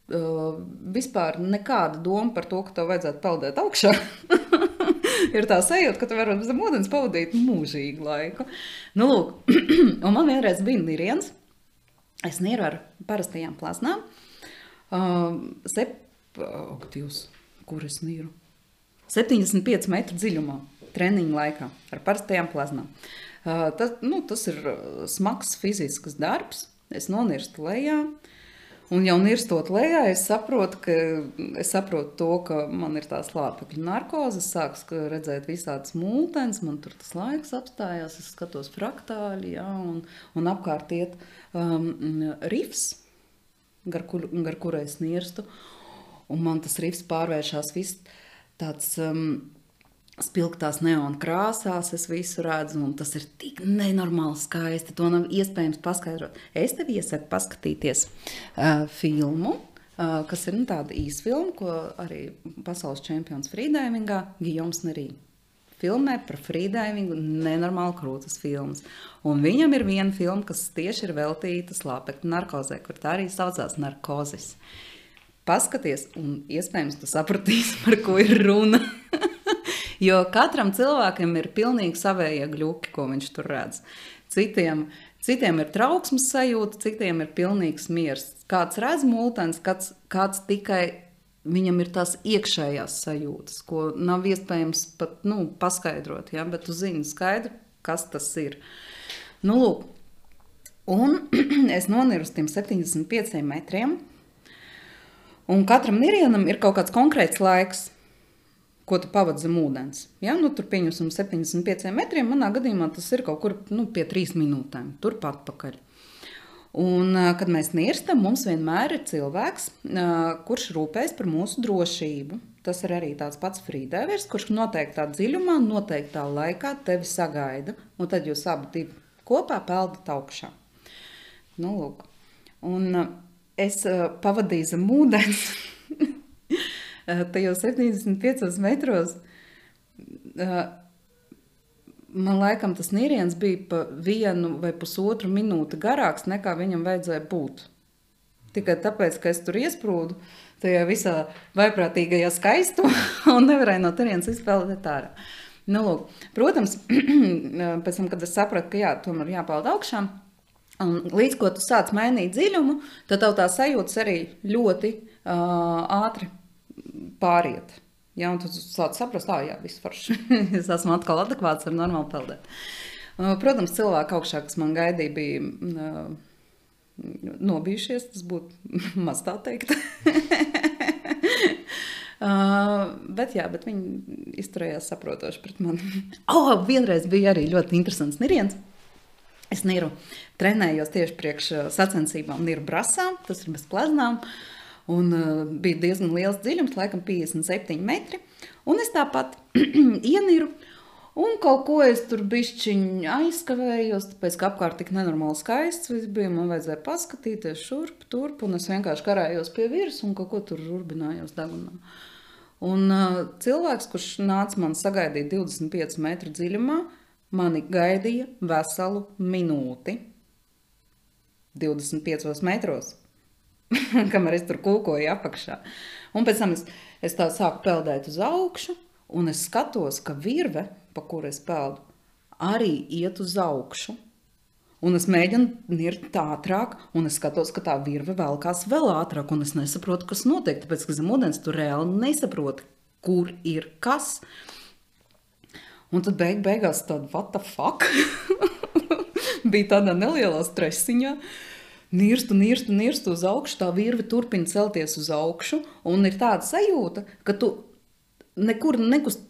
vispār nekāda doma par to, ka tev vajadzētu peldēt augšā. Ir tā sajūta, ka tu vari zem ūdens pavadīt mūžīgu laiku. Nu, lūk, un man vienreiz bija niriens. Es nieru ar parastajām plaznām. Kur es nieru? 75 metru dziļumā, treniņu laikā, ar parastajām plaznām. Tas ir smags fizisks darbs. Es nonirstu lejā. Un jau nirstot lejā, es saprotu to, ka man ir tā slāpekļa narkoze, es sāku redzēt visādas multenes, man tur tas laiks apstājās, es skatos fraktāļi, jā, un apkārt iet rifs, gar kuru es nirstu, un man tas rifs pārvēršās viss tāds spilgtās neona krāsās, es visu redzu, un tas ir tik nenormāli skaisti, to nav iespējams paskaidrot. Es tev iesaku paskatīties filmu, kas ir tāda īsfilma, ko arī pasaules čempions freedivingā Gijoms Nerī filmē par freedivingu, nenormāli krūtas filmas. Un viņam ir viena filma, kas tieši ir veltīta slāpekļa narkozē, kur tā arī saucās narkozis. Paskaties, un iespējams tu sapratīsi, par ko ir runa. Jo katram cilvēkam ir pilnīgi savējie gļuki, ko viņš tur redz. Citiem ir trauksmes sajūta, citiem ir pilnīgs miers. Kāds redz multenes, kāds tikai viņam ir tās iekšējās sajūtas, ko nav iespējams pat paskaidrot, ja? Bet tu zini skaidru, kas tas ir. Nu, lūk, un es noniru uz tiem 75 metriem, un katram nirienam ir kaut kāds konkrēts laiks, ko tu pavadi zem ūdens. Ja? Tur pieņemsim 75 metriem, manā gadījumā tas ir kaut kur pie 3 minūtēm, turpat pakaļ. Un, kad mēs nirstam, mums vienmēr ir cilvēks, kurš rūpējas par mūsu drošību. Tas ir arī tāds pats freedivers, kurš noteiktā dziļumā, noteiktā laikā tevi sagaida, un tad jūs abi kopā peldat augšā. Nu, lūk. Un es pavadīju zem ūdens tajos 75 metros. Man laikam tas niriens bija pa 1 vai pusotru minūti garāks, nekā viņam vajadzēja būt. Tikai tāpēc, ka es tur iesprūdu tajā visā vaiprātīgajā skaistumā un nevarēju no turienes izpeldēt ārā. Nu, lūk, protams, pēc tam, kad es sapratu, ka jā, tomēr jāpeld augšā, un līdz ko tu sāc mainīt dziļumu, tad tev tā sajūtas arī ļoti ātri pāriet. Ja, un tu sāc saprast, jā, viss forši. Es esmu atkal adekvāts, var normāli peldēt. Protams, cilvēki augšā, kas man gaidīja, bija nobijušies, tas būtu maz tā teikt. Bet viņi izturējās saprotoši pret mani. Vienreiz bija arī ļoti interesants niriens. Es niru trenējos tieši priekš sacensībām niru brasā, tas ir bez pleznām. Un bija diezgan liels dziļums, laikam 57 metri. Un es tāpat ieniru, un kaut ko es tur bišķiņ aizskavējos, tāpēc, ka apkārt tik nenormāli skaists viss bija, man vajadzēja paskatīties šurp, turp, un es vienkārši karājos pie virs un kaut ko tur urbinājos dagunā. Un cilvēks, kurš nāca man sagaidīt 25 metru dziļumā, mani gaidīja veselu minūti 25 metros. Kamēr es tur kūkoju apakšā. Un pēc tam es tā sāku peldēt uz augšu, un es skatos, ka virve, pa kuru es peldu, arī iet uz augšu. Un es mēģinu nirt ātrāk, un es skatos, ka tā virve velkās vēl ātrāk, un es nesaprotu, kas notiek, tāpēc, ka zem ūdens tu reāli nesaproti, kur ir kas. Un tad beigās tāda, what the fuck? Bija tādā nelielā stresiņā. Nirstu uz augšu, tā virve turpina celties uz augšu, un ir tāda sajūta, ka tu nekur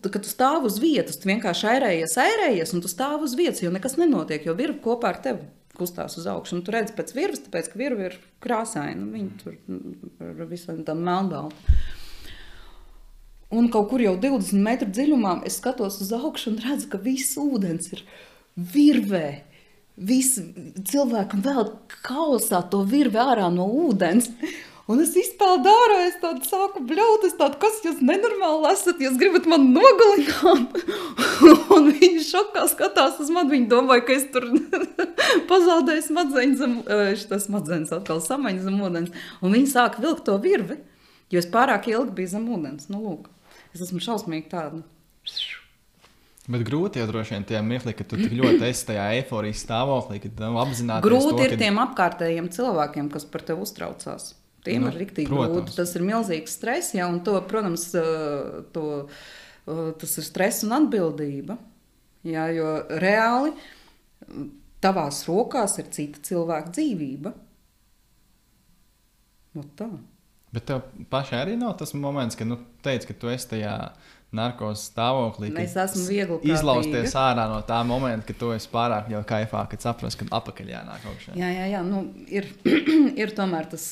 ka tu stāv uz vietas, tu vienkārši ērējies, un tu stāv uz vietas, jo nekas nenotiek, jo virve kopā ar tevi kustās uz augšu. Un tu redzi pēc virves, tāpēc, ka virve ir krāsaina, viņa tur ar visam tā melnbalta. Un kaut kur jau 20 metru dziļumā es skatos uz augšu un redzu, ka viss ūdens ir virvē. Visi cilvēki vēl kausā to virvi ārā no ūdens. Un es izpeldu ārā, es tādu sāku bļaut, es tādu, kas jūs nenormāli esat, jūs gribat man nogalināt. Un viņi šokā skatās uz mani, viņi domāja, ka es tur pazaudēju smadzenes atkal samaņu zem ūdens. Un viņi sāka vilkt to virvi, jo es pārāk ilgi biju zem ūdens. Nu, lūk, es esmu šausmīgi tāda. Bet grūti jau droši vien tie mirkli, ka tu tik ļoti esi tajā eiforijas stāvoklī, ka tu apzināties grūti ir tiem apkārtējiem cilvēkiem, kas par tevi uztraucās. Tiem ir riktīgi grūti. Tas ir milzīgs stress, ja, un to, protams, tas ir stress un atbildība. Ja, jo reāli tavās rokās ir cita cilvēka dzīvība. No tā. Bet tev pašai arī nav tas moments, ka teici, ka tu esi tajā narkos stāvoklī, es esmu viegli izlausties ārā no tā momenta, ka tu esi pārāk jau kaifā, kad saprast, ka apakaļ jānāk augšā. Jā, ir tomēr tas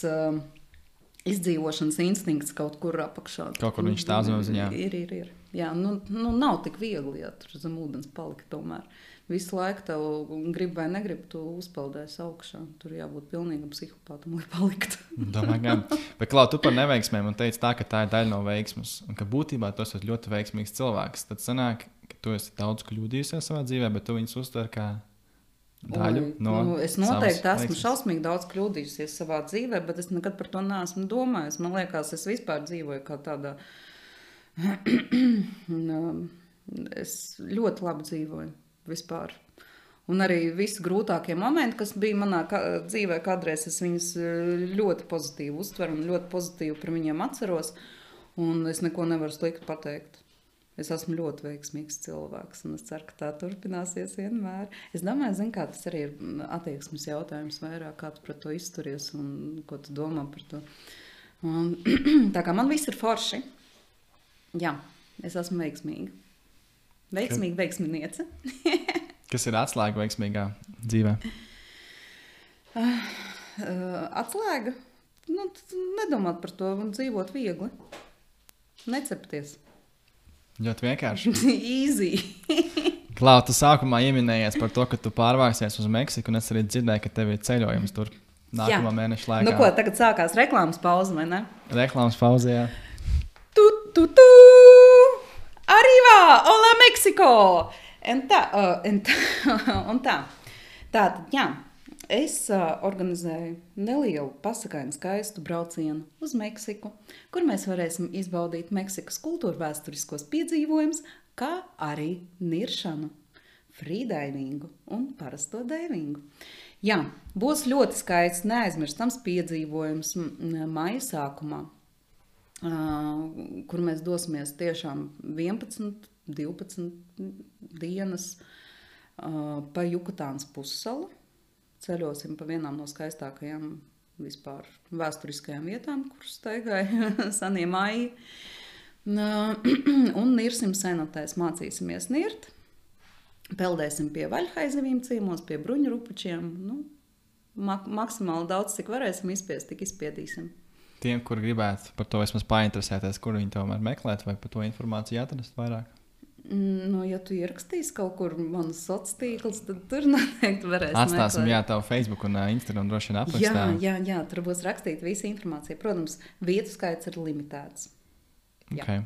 izdzīvošanas instinkts kaut kur apakšā. Kaut kur viņš stāv zem ziņā. Ir. Jā, nav tik viegli, ja tur zem ūdens palika tomēr. Visu laiku tev grib vai negrib, tu uzpeldēsi augšā. Tur jābūt pilnīgam psihopātam, lai paliktu. Domāju, gan. Bet, Klau, tu par neveiksmēm un teici tā, ka tā ir daļa no veiksmas. Un ka būtībā tu esi ļoti veiksmīgs cilvēks. Tad sanāk, ka tu esi daudz kļūdījusies savā dzīvē, bet tu viņus uztver kā daļu no es noteikti esmu šausmīgi daudz kļūdījusies savā dzīvē, bet es nekad par to neesmu domājis. Man liekas, es vispār dzīvoju kā tādā... es ļoti labi dzīvoju. Vispār. Un arī visi grūtākie momenti, kas bija manā dzīvē kādreiz, es viņus ļoti pozitīvi uztveru un ļoti pozitīvi par viņiem atceros, un es neko nevaru slikti pateikt. Es esmu ļoti veiksmīgs cilvēks, un es ceru, ka tā turpināsies vienmēr. Es domāju, kā tas arī ir attieksmes jautājums vairāk, kā tu pret to izturies un ko tu domā par to. Un, tā kā man viss ir forši, jā, es esmu veiksmīga. Veiksmīga veiksminiece. Kas ir atslēga veiksmīgā dzīvē? Atslēga? Nedomāt par to un dzīvot viegli. Necepties. Ļoti vienkārši. Easy. Klau, tu sākumā ieminējies par to, ka tu pārvāksies uz Meksiku, un es arī dzirdēju, ka tev ir ceļojums tur nākamā mēneša laikā. Nu ko, tagad sākās reklāmas pauze, vai ne? Reklāmas pauze, jā. Arriba! Hola, Meksiko! Un tā. Tātad, jā, es organizēju nelielu pasakainu skaistu braucienu uz Meksiku, kur mēs varēsim izbaudīt Meksikas kultūra vēsturiskos piedzīvojumus, kā arī niršanu, frīdaivingu un parasto daivingu. Jā, būs ļoti skaists, neaizmirstams piedzīvojums maija sākumā, kur mēs dosimies tiešām 11, 12 dienas pa Jukatānas pussalu. Ceļosim pa vienām no skaistākajām vispār vēsturiskajām vietām, kuras staigāja senie maiji. Un nirsim senotēs, mācīsimies nirt. Peldēsim pie vaļhaizivīm ciemos, pie bruņurupučiem. Maksimāli daudz, cik varēsim izspiest, tik izspiedīsim. Tiem, kur gribētu par to vismaz painteresēties, kur viņi tomēr meklēt vai par to informāciju atrast vairāk? Ja tu ierakstīsi kaut kur manas sociālos tīklus, tad tur noteikti varēs meklēt. Atstāsim, jā, tavu Facebook un Instagram droši vien aprakstā. Jā, tur būs rakstīta visa informācija. Protams, vietu skaits ir limitēts. Okay.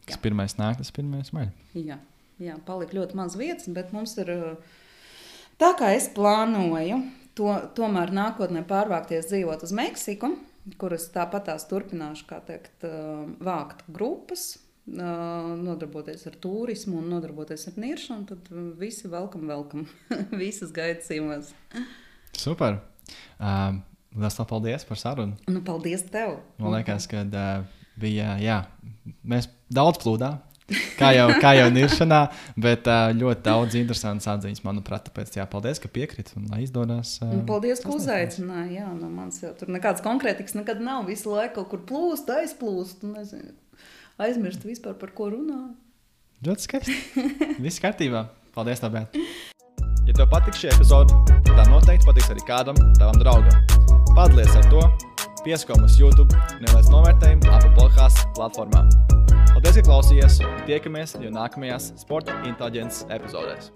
Kas pirmais nāk, tas pirmais maļ. Jā, palika ļoti maz vietas, bet mums ir tā, kā es plānoju, tomēr nākotnē pārvākties dzīvot uz Meksiku, kuras tāpatās turpināšu, kā teikt, vākt grupas, nodarboties ar turismu un nodarboties ar niršanu, tad visi welcome. Visas gaidas ciemos. Super. Lielas paldies par sarunu. Paldies tev. Man liekas, ka bija, mēs daudz plūdā, kā jau niršanā, bet ļoti daudz interesantas atziņas, manuprāt, tāpēc paldies, ka piekriti un lai izdodas. Paldies, ka uzaicināji. Jā, no manis jau tur nekāds konkrētiks nekad nav. Visu laiku kaut kur plūst, aizplūst, nezinu. Aizmirst vispār, par ko runā. Ļoti skaisti. Viss kārtībā. Paldies, tev, Beata. Ja tev patīk šī epizode, tā noteikti patiks arī kādam tavam draugam. Padalies ar to, piesko mums YouTube, neliec novērtējumu Apple Podcasts platformā. Paldies, ka klausījies un tiekamies jau nākamajās Sporta Inteliģences epizodēs.